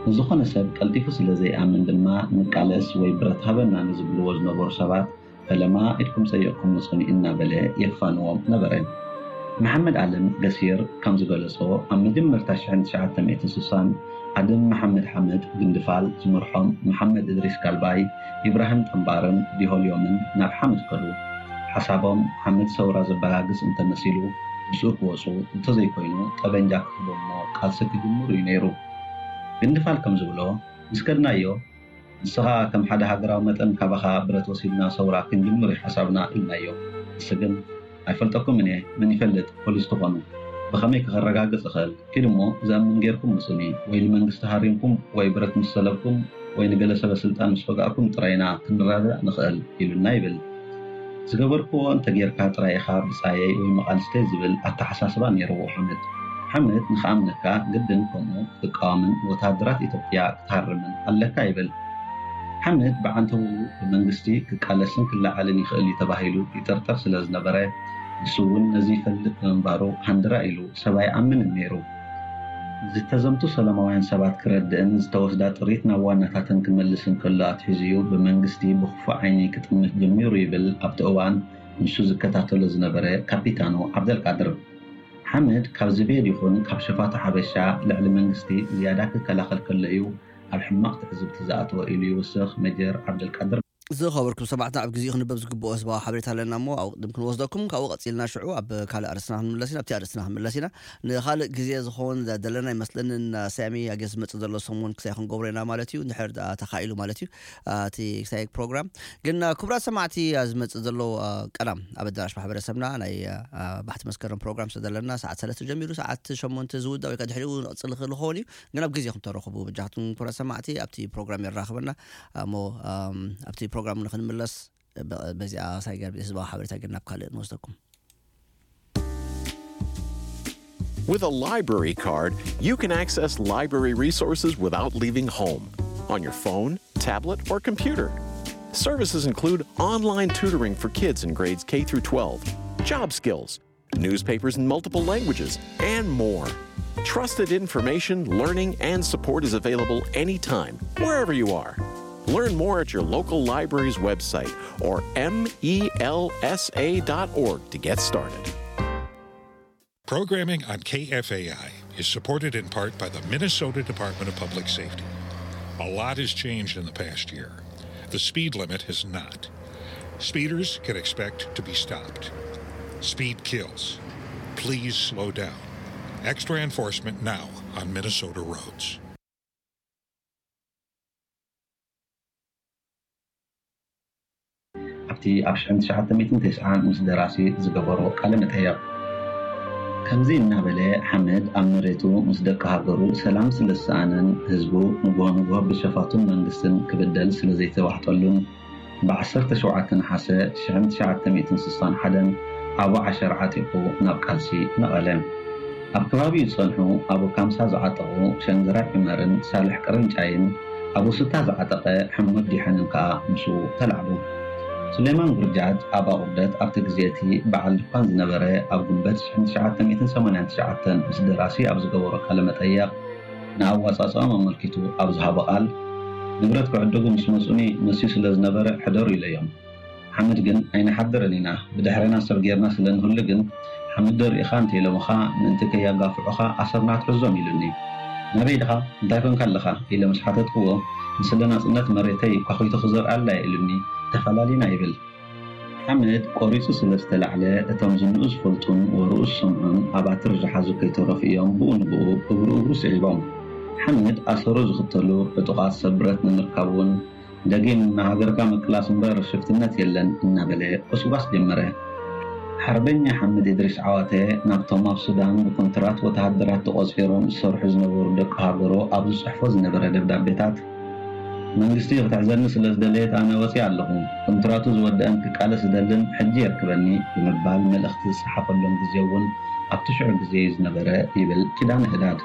ንዝኾነ ሰብ ቀልጢፉ ስለ ዘይኣምን ድማ ንቃለስ ወይ ብረት ሃበና ንዝብልዎ ዝነበሩ ሰባት ፈለማ ኢድኩም ጸይቕኩም ምጹኒ እናበለ የፋንዎም ነበረ። መሓመድ ኣለም ገሲር ከም ዝገለጾ ኣብ መጀመርታ ሽሕን ትሽዓተ ሚእትን ስሳን ኣደም መሓመድ ሓመድ ግንድፋል ዝመርሖም መሓመድ እድሪስ ጋልባይ፣ ኢብራሂም ጠምባርን ዲሆልዮምን ናብ ሓመድ ከዱ። ሓሳቦም ሓመድ ሰውራ ዘበጋግስ እንተመሲሉ ምስኡ ክወጹ እንተዘይኮይኑ ጠበንጃ ክህቦ እሞ ቃልሲ ክጅምሩ እዩ ነይሩ። ግንድፋል ከም ዝብሎ ምስ ከድናዮ ንስኻ ከም ሓደ ሃገራዊ መጠን ካባኻ ብረት ወሲድና ሰውራ ክንጅምር እዩ ሓሳብና ኢልናዮ። ንሱ ግን ኣይፈልጠኩምን እየ፣ መን ይፈልጥ ፖሊስ ትኾኑ፣ ብኸመይ ከረጋግጽ እኽእል? ኪድ እሞ ዘእምን ጌርኩም ምጹኒ፣ ወይ ንመንግስቲ ሃሪምኩም ወይ ብረት ምስ ሰለብኩም ወይ ንገለ ሰበ ስልጣን ምስ ወጋእኩም ጥራይ ኢና ክንረዳዳእ ንኽእል ኢሉና ይብል። ዝገበርክዎ እንተጌርካ ጥራይ ኢኻ ብጻየይ ወይ መቓልስተይ ዝብል ኣተሓሳስባ ነይርዎ ሓመድ። ሓመድ ንኽኣምነካ ግድን ከምኡ ክትቃወምን ወተሃደራት ኢትዮጵያ ክትሃርምን ኣለካ ይብል። ሓምድ ብዓንተውኡ ብመንግስቲ ክቃለስን ክለዓልን ይኽእል እዩ ተባሂሉ ይጥርጠር ስለ ዝነበረ፣ ንሱ እውን ነዚ ይፈልጥ ብምንባሩ ሃንደራ ኢሉ ሰብ ኣይኣምንን ነይሩ። ዝተዘምቱ ሰላማውያን ሰባት ክረድእን ዝተወስዳ ጥሪት ናብ ዋናታተን ክመልስን ከሎ ኣትሒዙ እዩ ብመንግስቲ ብኽፉእ ዓይኒ ክጥምት ጀሚሩ ይብል ኣብቲ እዋን ንሱ ዝከታተሎ ዝነበረ ካፒታኖ ዓብደልቃድር። ሓምድ ካብ ዝቤድ ይኹን ካብ ሸፋቱ ሓበሻ ልዕሊ መንግስቲ ዝያዳ ክከላኸል ከሎ እዩ ኣብ ሕማቕ ትዕዝብቲ ዝኣተወ ኢሉ ይውስኽ ሜጀር ዓብደልቃድር። ዝኸበርኩም ሰማዕትና፣ ኣብ ግዜኡ ክንበብ ዝግብኦ ህዝባዊ ሓበሬታ ኣለና እሞ፣ ኣብኡ ቅድም ክንወስደኩም፣ ካብኡ ቀጺልና ሽዑ ኣብ ካልእ ኣርእስትና ክንምለስ ኢና፣ ኣብቲ ኣርእስትና ክንምለስ ኢና። ንኻልእ ግዜ ዝኸውን ዘለና ይመስለኒ፣ ንስያሜ ኣገ ዝመጽእ ዘሎ ሰሙን ክሳይ ክንገብሮ ኢና ማለት እዩ፣ እንድሕር ደኣ ተኻኢሉ ማለት እዩ፣ አ፣ እቲ ክሳይ ፕሮግራም። ግን፣ አ፣ ክቡራት ሰማዕቲ፣ አ፣ ዝመጽእ ዘሎ፣ አ፣ ቀዳም ኣብ ኣዳራሽ ማሕበረሰብና ናይ፣ አ፣ ባሕቲ መስከረም ፕሮግራም ስለ ዘለና፣ ሰዓት ሰለስተ ጀሚሩ ሰዓት ሸሞንተ ዝውዳእ ወይ ከኣ ድሕሪኡ ንቕጽል ንኽእል ክኸውን እዩ። ግን ኣብ ግዜ ክንተረኽቡ በጃኹም ክቡራት ሰማዕቲ ኣብቲ ፕሮግራም የራኽበና እሞ፣ ኣም፣ ኣብቲ ፕሮግራም ንክንምለስ በ-፣ በዚኣ ሳይገር ህዝባዊ ሓበሬታ ግን ናብ ካልእ ንወስደኩም። With a library card, you can access library resources without leaving home, on your phone, tablet, or computer. Services include online tutoring for kids in grades K through twelve, job skills, newspapers in multiple languages, and more. Trusted information, learning, and support is available anytime, wherever you are. Learn more at your local library's website or M E L S A dot org to get started. Programming on K F A I is supported in part by the Minnesota Department of Public Safety. A lot has changed in the past year. The speed limit has not. Speeders can expect to be stopped. Speed kills. Please slow down. Extra enforcement now on Minnesota roads. ኣብቲ ኣብ ሽሕን ትሽዓተ ሚእትን ተስዓን ምስ ደራሲ ዝገበሮ ቃለ መጠየቕ። ከምዚ እናበለ ሓምድ ኣብ መሬቱ ምስ ደቂ ሃገሩ ሰላም ስለ ዝሰኣነን ህዝቡ ንግሆ ንግሆ ብሸፋቱን መንግስትን ክብደል ስለ ዘይተዋሕጠሉን ብዓሰርተ ሸውዓተ ነሓሰ ሽሕን ትሽዓተ ሚእትን ስሳን ሓደን ኣቡ ዓሸር ዓጢቑ ናብ ቃልሲ ነቐለ። ኣብ ከባቢኡ ዝጸንሑ ኣቡ ካምሳ ዝዓጠቑ ሸንገራይ ዑመርን ሳልሕ ቅርንጫይን ኣቡ ሱታ ዝዓጠቐ ሓሙድ ዲሐንን ከኣ ምስኡ ተላዕሉ። ሱሌማን ጉርጃጅ ኣብ ኣቑርደት ኣብቲ ግዜ እቲ በዓል ድኳን ዝነበረ ኣብ ጉንበት ሽሕን ትሽዓተ ሚእትን ሰማንያን ትሽዓተን ምስ ደራሲ ኣብ ዝገበሮ ቃለ መጠየቕ ንኣዋጻጽኦም ኣመልኪቱ ኣብ ዝሃቦ ቃል ንብረት ክዕድጉ ምስ መጹኒ መስዩ ስለ ዝነበረ ሕደሩ ኢለዮም። ሓምድ ግን ኣይንሓድርን ኢና፣ ብድሕሬና ሰብ ጌርና ስለ ንህሉ ግን ሓምድ ዶ ርኢኻ እንተኢሎምኻ ምእንቲ ከየጋፍዑኻ ኣሰርና ኣትሕዞም ኢሉኒ። ናበይ ድኻ እንታይ ኮንካ ኣለኻ ኢለ ምስ ሓተትክዎ ንስለ ናጽነት መሬተይ ኳኺቱ ክዘርኣላ እየ ኢሉኒ ተፈላሊና ይብል። ሓምድ ቆሪጹ ስለ ዝተላዕለ እቶም ዝንኡ ዝፈልጡን ወርኡ ዝሰምዑን ኣባትር ዝሓዙ ከይተረፉ እዮም ብኡ ንብኡ እግሩ እግሩ ስዒቦም። ሓምድ ኣሰሩ ዝኽተሉ ዕጡቓት ሰብ ብረት ንምርካብ እውን ደጊም ንሃገርካ ምቅላስ እምበር ሽፍትነት የለን እናበለ ጎስጓስ ጀመረ። ሓርበኛ ሓምድ ኢድሪስ ዓዋተ ናብቶም ኣብ ሱዳን ብኮንትራት ወተሃደራት ተቖጺሮም ዝሰርሑ ዝነበሩ ደቂ ሃገሩ ኣብ ዝጽሕፎ ዝነበረ ደብዳቤታት መንግስቲ ክትሕዘኒ ስለ ዝደለየት ኣነ ወጺኣ ኣለኹ። ኮንትራቱ ዝወደአን ክቃለስ ዝደልን ሕጂ የርክበኒ ብምባል መልእኽቲ ዝጸሓፈሎም ግዜ እውን ኣብቲ ሽዑ ግዜ እዩ ዝነበረ ይብል ኪዳነ ህዳድ።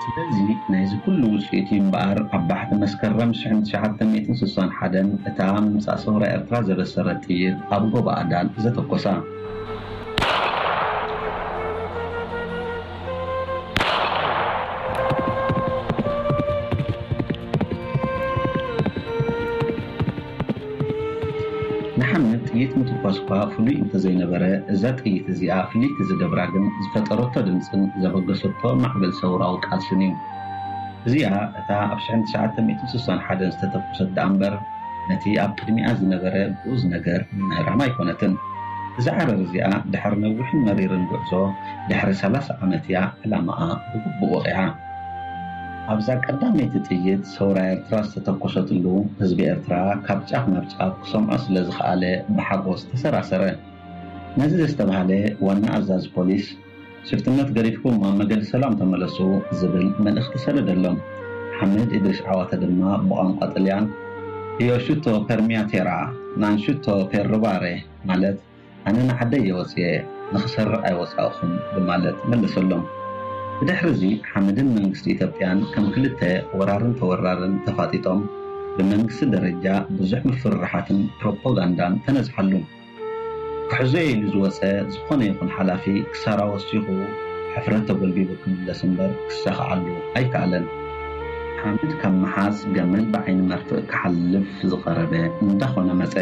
ስለዚ ናይዚ ኩሉ ውጽኢት እዩ እምበኣር ኣብ ባሕቲ መስከረም ሽሕን ትሽዓተ ሚእትን ስሳን ሓደን እታ ምምጻእ ሰውራ ኤርትራ ዘበሰረት ጥይት ኣብ ጎቦ ኣዳል ዘተኮሳ። ንሓምድ ጥይት ምትኳስ እኳ ፍሉይ እንተዘይነበረ፣ እዛ ጥይት እዚኣ ፍልይቲ ዝገብራ ግን ዝፈጠረቶ ድምጽን ዘበገሰቶ ማዕበል ሰውራዊ ቃልስን እዩ። እዚኣ እታ ኣብ ሽሕን ትሽዓተ ሚእትን ስሳን ሓደን ዝተተኮሰት ደኣ እምበር፣ ነቲ ኣብ ቅድሚኣ ዝነበረ ግኡዝ ነገር ምምህራም ኣይኮነትን። እዛ ዓረር እዚኣ ድሕሪ ነዊሕን መሪርን ጉዕዞ ድሕሪ ሰላሳ ዓመት እያ ዕላማኣ ብግቡእ ወቒዓ። ኣብዛ ቀዳመይቲ ጥይት ሰውራ ኤርትራ ዝተተኮሰትሉ፣ ህዝቢ ኤርትራ ካብ ጫፍ ናብ ጫፍ ክሰምዖ ስለ ዝኸኣለ ብሓጎስ ተሰራሰረ። ነዚ ዘስተብሃለ ዋና ኣዛዚ ፖሊስ፣ ሽፍትነት ገዲፍኩም ኣብ መገዲ ሰላም ተመለሱ ዝብል መልእኽቲ ሰደደሎም። ሓምድ ኢድሪስ ዓዋተ ድማ ብቋንቋ ጥልያን፣ Io sciuto per mia terra, non sciuto per rubare፣ ማለት ኣነ ንዓደይ እየ ወፅየ፣ ንኽሰርቕ ኣይወፃእኹን ብማለት መለሰሎም። ብድሕሪ እዚ ሓምድን መንግስቲ ኢትዮጵያን ከም ክልተ ወራርን ተወራርን ተፋጢጦም ብመንግስቲ ደረጃ ብዙሕ ምፍርራሓትን ፕሮፓጋንዳን ተነዝሓሉ። ክሕዞ ኢሉ ዝወፀ ዝኾነ ይኹን ሓላፊ ክሳራ ወሲኹ ሕፍረት ተጎልቢቡ ክምለስ እምበር ክሳኽዓሉ ኣይከኣለን። ሓምድ ካብ ምሓዝ ገመል ብዓይኒ መርፍእ ክሓልፍ ዝቐረበ እንዳኾነ መፀ።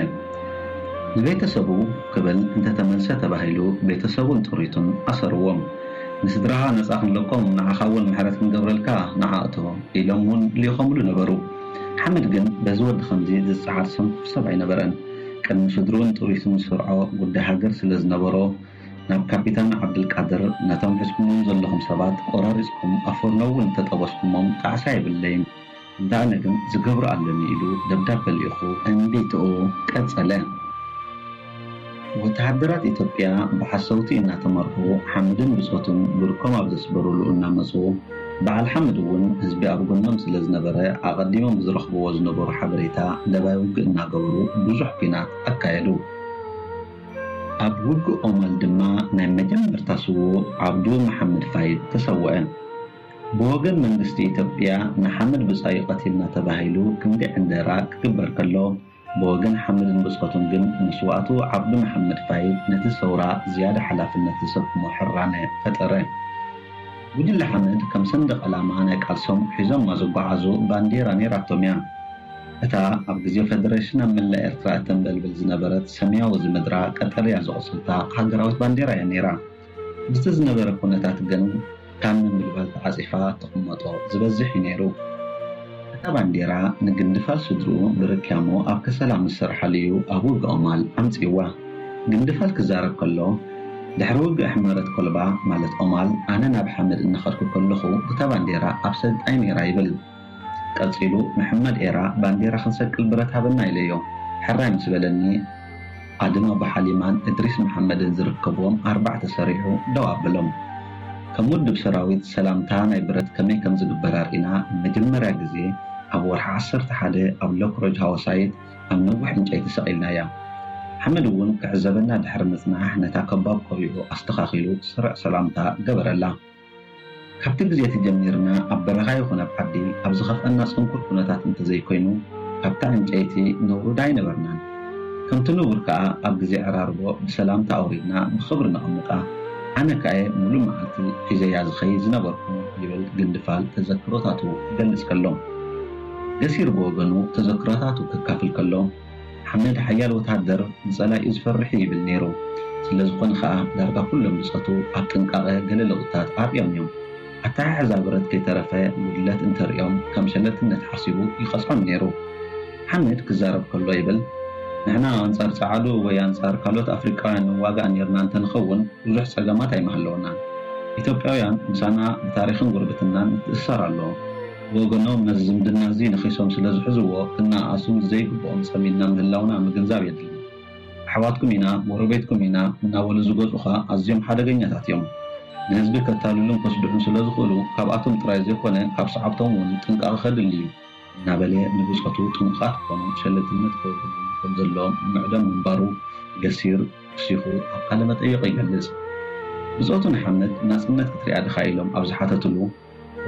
ንቤተሰቡ ክብል እንተተመልሰ ተባሂሉ ቤተሰቡን ጥሪቱን ኣሰርዎም። ንስድራኻ ነፃ ክንለቆም ንዓኻ እውን ምሕረት ክንገብረልካ ንዓ እቶ ኢሎም እውን ልኢኾምሉ ነበሩ። ሓምድ ግን በዚ ወዲ ከምዚ ዝፀዓር ሰንኩፍ ሰብ ኣይነበረን። ቅድሚ ስድርኡን ጥሪቱን ዝሰርዖ ጉዳይ ሃገር ስለ ዝነበሮ ናብ ካፒታን ዓብድልቃድር ነቶም ሒዝኩሞም ዘለኹም ሰባት ቆራሪፅኩም ኣፈርኖ እውን እንተጠበስኩሞም ጣዕሳ የብለይን። እንተ ኣነ ግን ዝገብሮ ኣለኒ ኢሉ ደብዳበ ልኢኹ እምቢትኡ ቀጸለ። ወተሃደራት ኢትዮጵያ ብሓሰውቲ እናተመርሑ ሓምድን ብጾቱን ብርኮም ኣብ ዘስበሩሉ እናመጹ በዓል ሓምድ እውን ህዝቢ ኣብ ጎኖም ስለ ዝነበረ ኣቐዲሞም ብዝረኽብዎ ዝነበሩ ሓበሬታ ደባይ ውግእ እናገበሩ ብዙሕ ኲናት ኣካየዱ። ኣብ ውግእ ኦማል ድማ ናይ መጀመርታ ስዉእ ዓብዱ መሓመድ ፋይድ ተሰወአ። ብወገን መንግስቲ ኢትዮጵያ ንሓምድ ብጻዩ ቀቲልና ተባሂሉ ክንዲ ዕንደራ ክግበር ከሎ፣ ብወገን ሓምድን ብጾቱን ግን መስዋእቱ ዓብዱ መሓመድ ፋይድ ነቲ ሰውራ ዝያዳ ሓላፍነት ዘሰክሞ ሕራነ ፈጠረ። ጉጅለ ሓምድ ከም ሰንደቕ ዕላማ ናይ ቃልሶም ሒዞማ ዝጓዓዙ ባንዴራ ነይራቶም እያ። እታ ኣብ ግዜ ፈደረሽን ኣብ መላእ ኤርትራ እተንበልብል ዝነበረት ሰማያዊ ዝምድራ ቀጠልያ ዝቑጽልታ ሃገራዊት ባንዴራ እያ ነይራ። ምስቲ ዝነበረ ኩነታት ግን ካብ ምንብልባል ተዓጺፋ ትቕመጦ ዝበዝሕ እዩ ነይሩ። እታ ባንዴራ ንግንድፋል ስድርኡ ብርክያሞ ኣብ ከሰላ ምስ ሰርሓሉ እዩ ኣብ ውግእ ኦማል ኣምጺእዋ። ግንድፋል ክዛረብ ከሎ፣ ድሕሪ ውግእ ሕመረት ኮልባ ማለት ኦማል ኣነ ናብ ሓምድ እናኸድኩ ከለኹ እታ ባንዴራ ኣብ ሰልጣይ ነይራ ይብል። ቀጺሉ መሐመድ ኤራ ባንዴራ ክንሰቅል ብረት ሃበና ኢለዮ። ሕራይ ምስ በለኒ ኣድም ኣቡ ሓሊማን እድሪስ መሓመድን ዝርከብዎም ኣርባዕተ ሰሪዑ ደው ኣበሎም። ከም ውድብ ሰራዊት ሰላምታ ናይ ብረት ከመይ ከም ዝግበር ኣርኢና ንመጀመርያ ግዜ ኣብ ወርሒ ዓሰርተ ሓደ ኣብ ሎክሮጅ ሃወሳይት ኣብ ነዊሕ ዕንጨይቲ ሰቒልናያ። ሓመድ እውን ክዕዘበና ድሕሪ ምጽናሕ ነታ ከባብ ቆቢዑ ኣስተኻኺሉ ስሩዕ ሰላምታ ገበረላ። ካብቲ ግዜ እቲ ጀሚርና ኣብ በረኻ ይኹን ኣብ ዓዲ ኣብ ዝኸፍአና ጽንኩር ኩነታት እንተዘይኮይኑ ካብታ ዕንጨይቲ ነውርዳ ኣይነበርናን። ከምቲ ንቡር ከኣ ኣብ ግዜ ዕራርቦ ብሰላምታ ኣውሪድና ብኽብሪ ነቐምጣ። ኣነ ከኣ ሙሉእ መዓልቲ ሒዘያ ዝኸይድ ዝነበርኩ ይብል ግንድፋል ተዘክሮታቱ ክገልጽ ከሎ። ገሲር ብወገኑ ተዘክሮታቱ ከካፍል ከሎ ሓመድ ሓያል ወተሃደር ንጸላኢኡ ዝፈርሕ እዩ ይብል ነይሩ። ስለ ዝኾነ ኸኣ ዳርጋ ኩሎም ብጾቱ ኣብ ጥንቃቐ ገለ ለውጥታት ኣርእዮም እዮም። ኣተሓሕዛ ብረት ከይተረፈ ጉድለት እንተርእዮም ከም ሸለልትነት ሓሲቡ ይቐጽዖም ነይሩ። ሓመድ ክዛረብ ከሎ ይብል፣ ንሕና ኣንጻር ጸዓዱ ወይ ኣንጻር ካልኦት ኣፍሪቃውያን ንዋጋእ ኔርና እንተንኸውን ብዙሕ ጸገማት ኣይምሃለወናን። ኢትዮጵያውያን ምሳና ብታሪኽን ጉርብትናን ምትእስሳር ኣለዎም። ብወገኖም ነዚ ዝምድና እዚ ነኺሶም ስለ ዝሕዝዎ ክነኣኣሱ ዘይግብኦም ጸሚድና ምህላውና ምግንዛብ የድሊ። ኣሕዋትኩም ኢና፣ ጎረቤትኩም ኢና እናበሉ ዝገዝኡኻ ኣዝዮም ሓደገኛታት እዮም። ንህዝቢ ከታልሉን ከስድዑን ስለ ዝኽእሉ ካብኣቶም ጥራይ ዘይኮነ ካብ ሰዓብቶም እውን ጥንቃቐ ከድሊ እዩ። እናበለ ንብጾቱ ጥንቁቓት ክኾኑ ሸለልትነት ከውርዱ ከም ዘለዎም ምዕዶም ምንባሩ ገሲር ወሲኹ ኣብ ቃለ መጠይቕ ይገልጽ። ብጾቱ ንሓመድ ናጽነት ክትሪኣ ድኻ ኢሎም ኣብ ዝሓተትሉ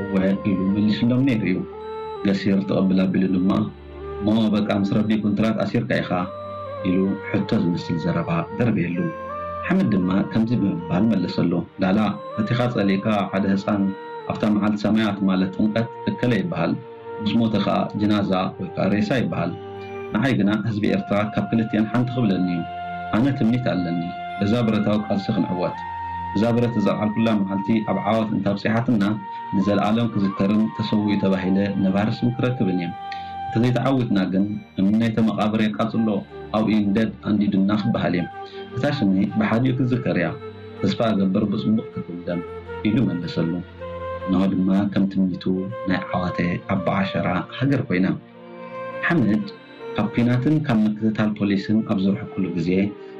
እወ ኢሉ መሊስሎም ነይሩ እዩ። ገሲር ተቐብል ኣቢሉ ድማ እሞ በቃ ምስ ረቢ ኩንትራት ኣሲርካ ኢኻ ኢሉ ሕቶ ዝመስል ዘረባ ደርበየሉ። ሓመድ ድማ ከምዚ ብምባል መለሰሉ፣ ላላ ነቲኻ ጸሊእካ ሓደ ህጻን ኣብታ መዓልቲ ሰማያት ማለት ጥምቀት እከለ ይበሃል። ምስ ሞተ ኸኣ ጅናዛ ወይ ከኣ ሬሳ ይበሃል። ንዓይ ግና ህዝቢ ኤርትራ ካብ ክልቲኤን ሓንቲ ክብለኒ እዩ። ኣነ ትምኒት ኣለኒ። በዛ ብረታዊ ቃልሲ ክንዕወት። እዛ ብረት እዘልዓልኩላ መዓልቲ ኣብ ዓወት እንተኣብጺሓትና ንዘልኣለም ክዝከርን ተሰዊኡ ተባሂለ ነባሪ ስም ክረክብን እየ። እንተዘይተዓዊትና ግን እምኒ ናይቲ መቓብር የቃጽሎ ኣብኡ ይንደድ ኣንዲዱና ክበሃል እየ። እታ ሽመይ ብሓዲኡ ክትዝከር እያ። ተስፋ እገብር ብጽቡቕ ክትውደም ኢሉ መለሰሉ። እንሆ ድማ ከም ትምኒቱ ናይ ዓዋተ ኣቦዓሸራ ሃገር ኮይና። ሓምድ ካብ ኲናትን ካብ ምክትታል ፖሊስን ኣብ ዝርሕቅሉ ግዜ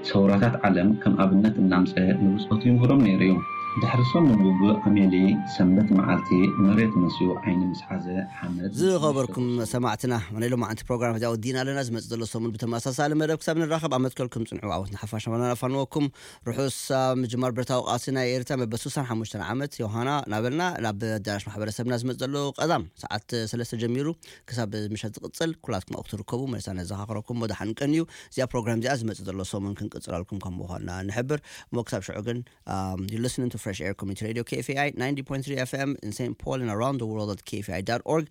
ሰውራታት ዓለም ከም ኣብነት እናምጸ ንብጾቱ ይምህሮም ነይሩ እዩ። ድሕሪ ሰሙን ውግእ ኣሜሊ ሰንበት መዓልቲ መሬት መስዩ ዓይኒ ምስ ሓዘ ሓመድ ዝኸበርኩም ሰማዕትና፣ ናይ ሎማዓንቲ ፕሮግራም እዚኣ ወዲና ኣለና። ዝመፅእ ዘሎ ሰሙን ብተመሳሳሊ መደብ ክሳብ ንራኸብ ኣብ መትከልኩም ፅንዑ። ዓወት ንሓፋሽ ናባና ናፋንወኩም። ርሑስ ምጅማር ብረታዊ ቃልሲ ናይ ኤርትራ መበል ስሳን ሓሙሽተን ዓመት ዮሃና ናበልና ናብ ኣዳራሽ ማሕበረሰብና ዝመፅ ዘሎ ቀዳም ሰዓት ሰለስተ ጀሚሩ ክሳብ ምሸት ዝቕፅል ኩላትኩም ኣብኡ ክትርከቡ መለሳ ነዘኻኽረኩም። ወደሓን ቀንዩ። እዚኣ ፕሮግራም እዚኣ ዝመፅእ ዘሎ ሰሙን ክንቅፅለልኩም ከም ምዃንና ንሕብር። እሞ ክሳብ ሽዑ ግን um, you're listening to Fresh Air Community Radio, K F A I ninety point three F M in Saint Paul and around the world at K F A I dot org.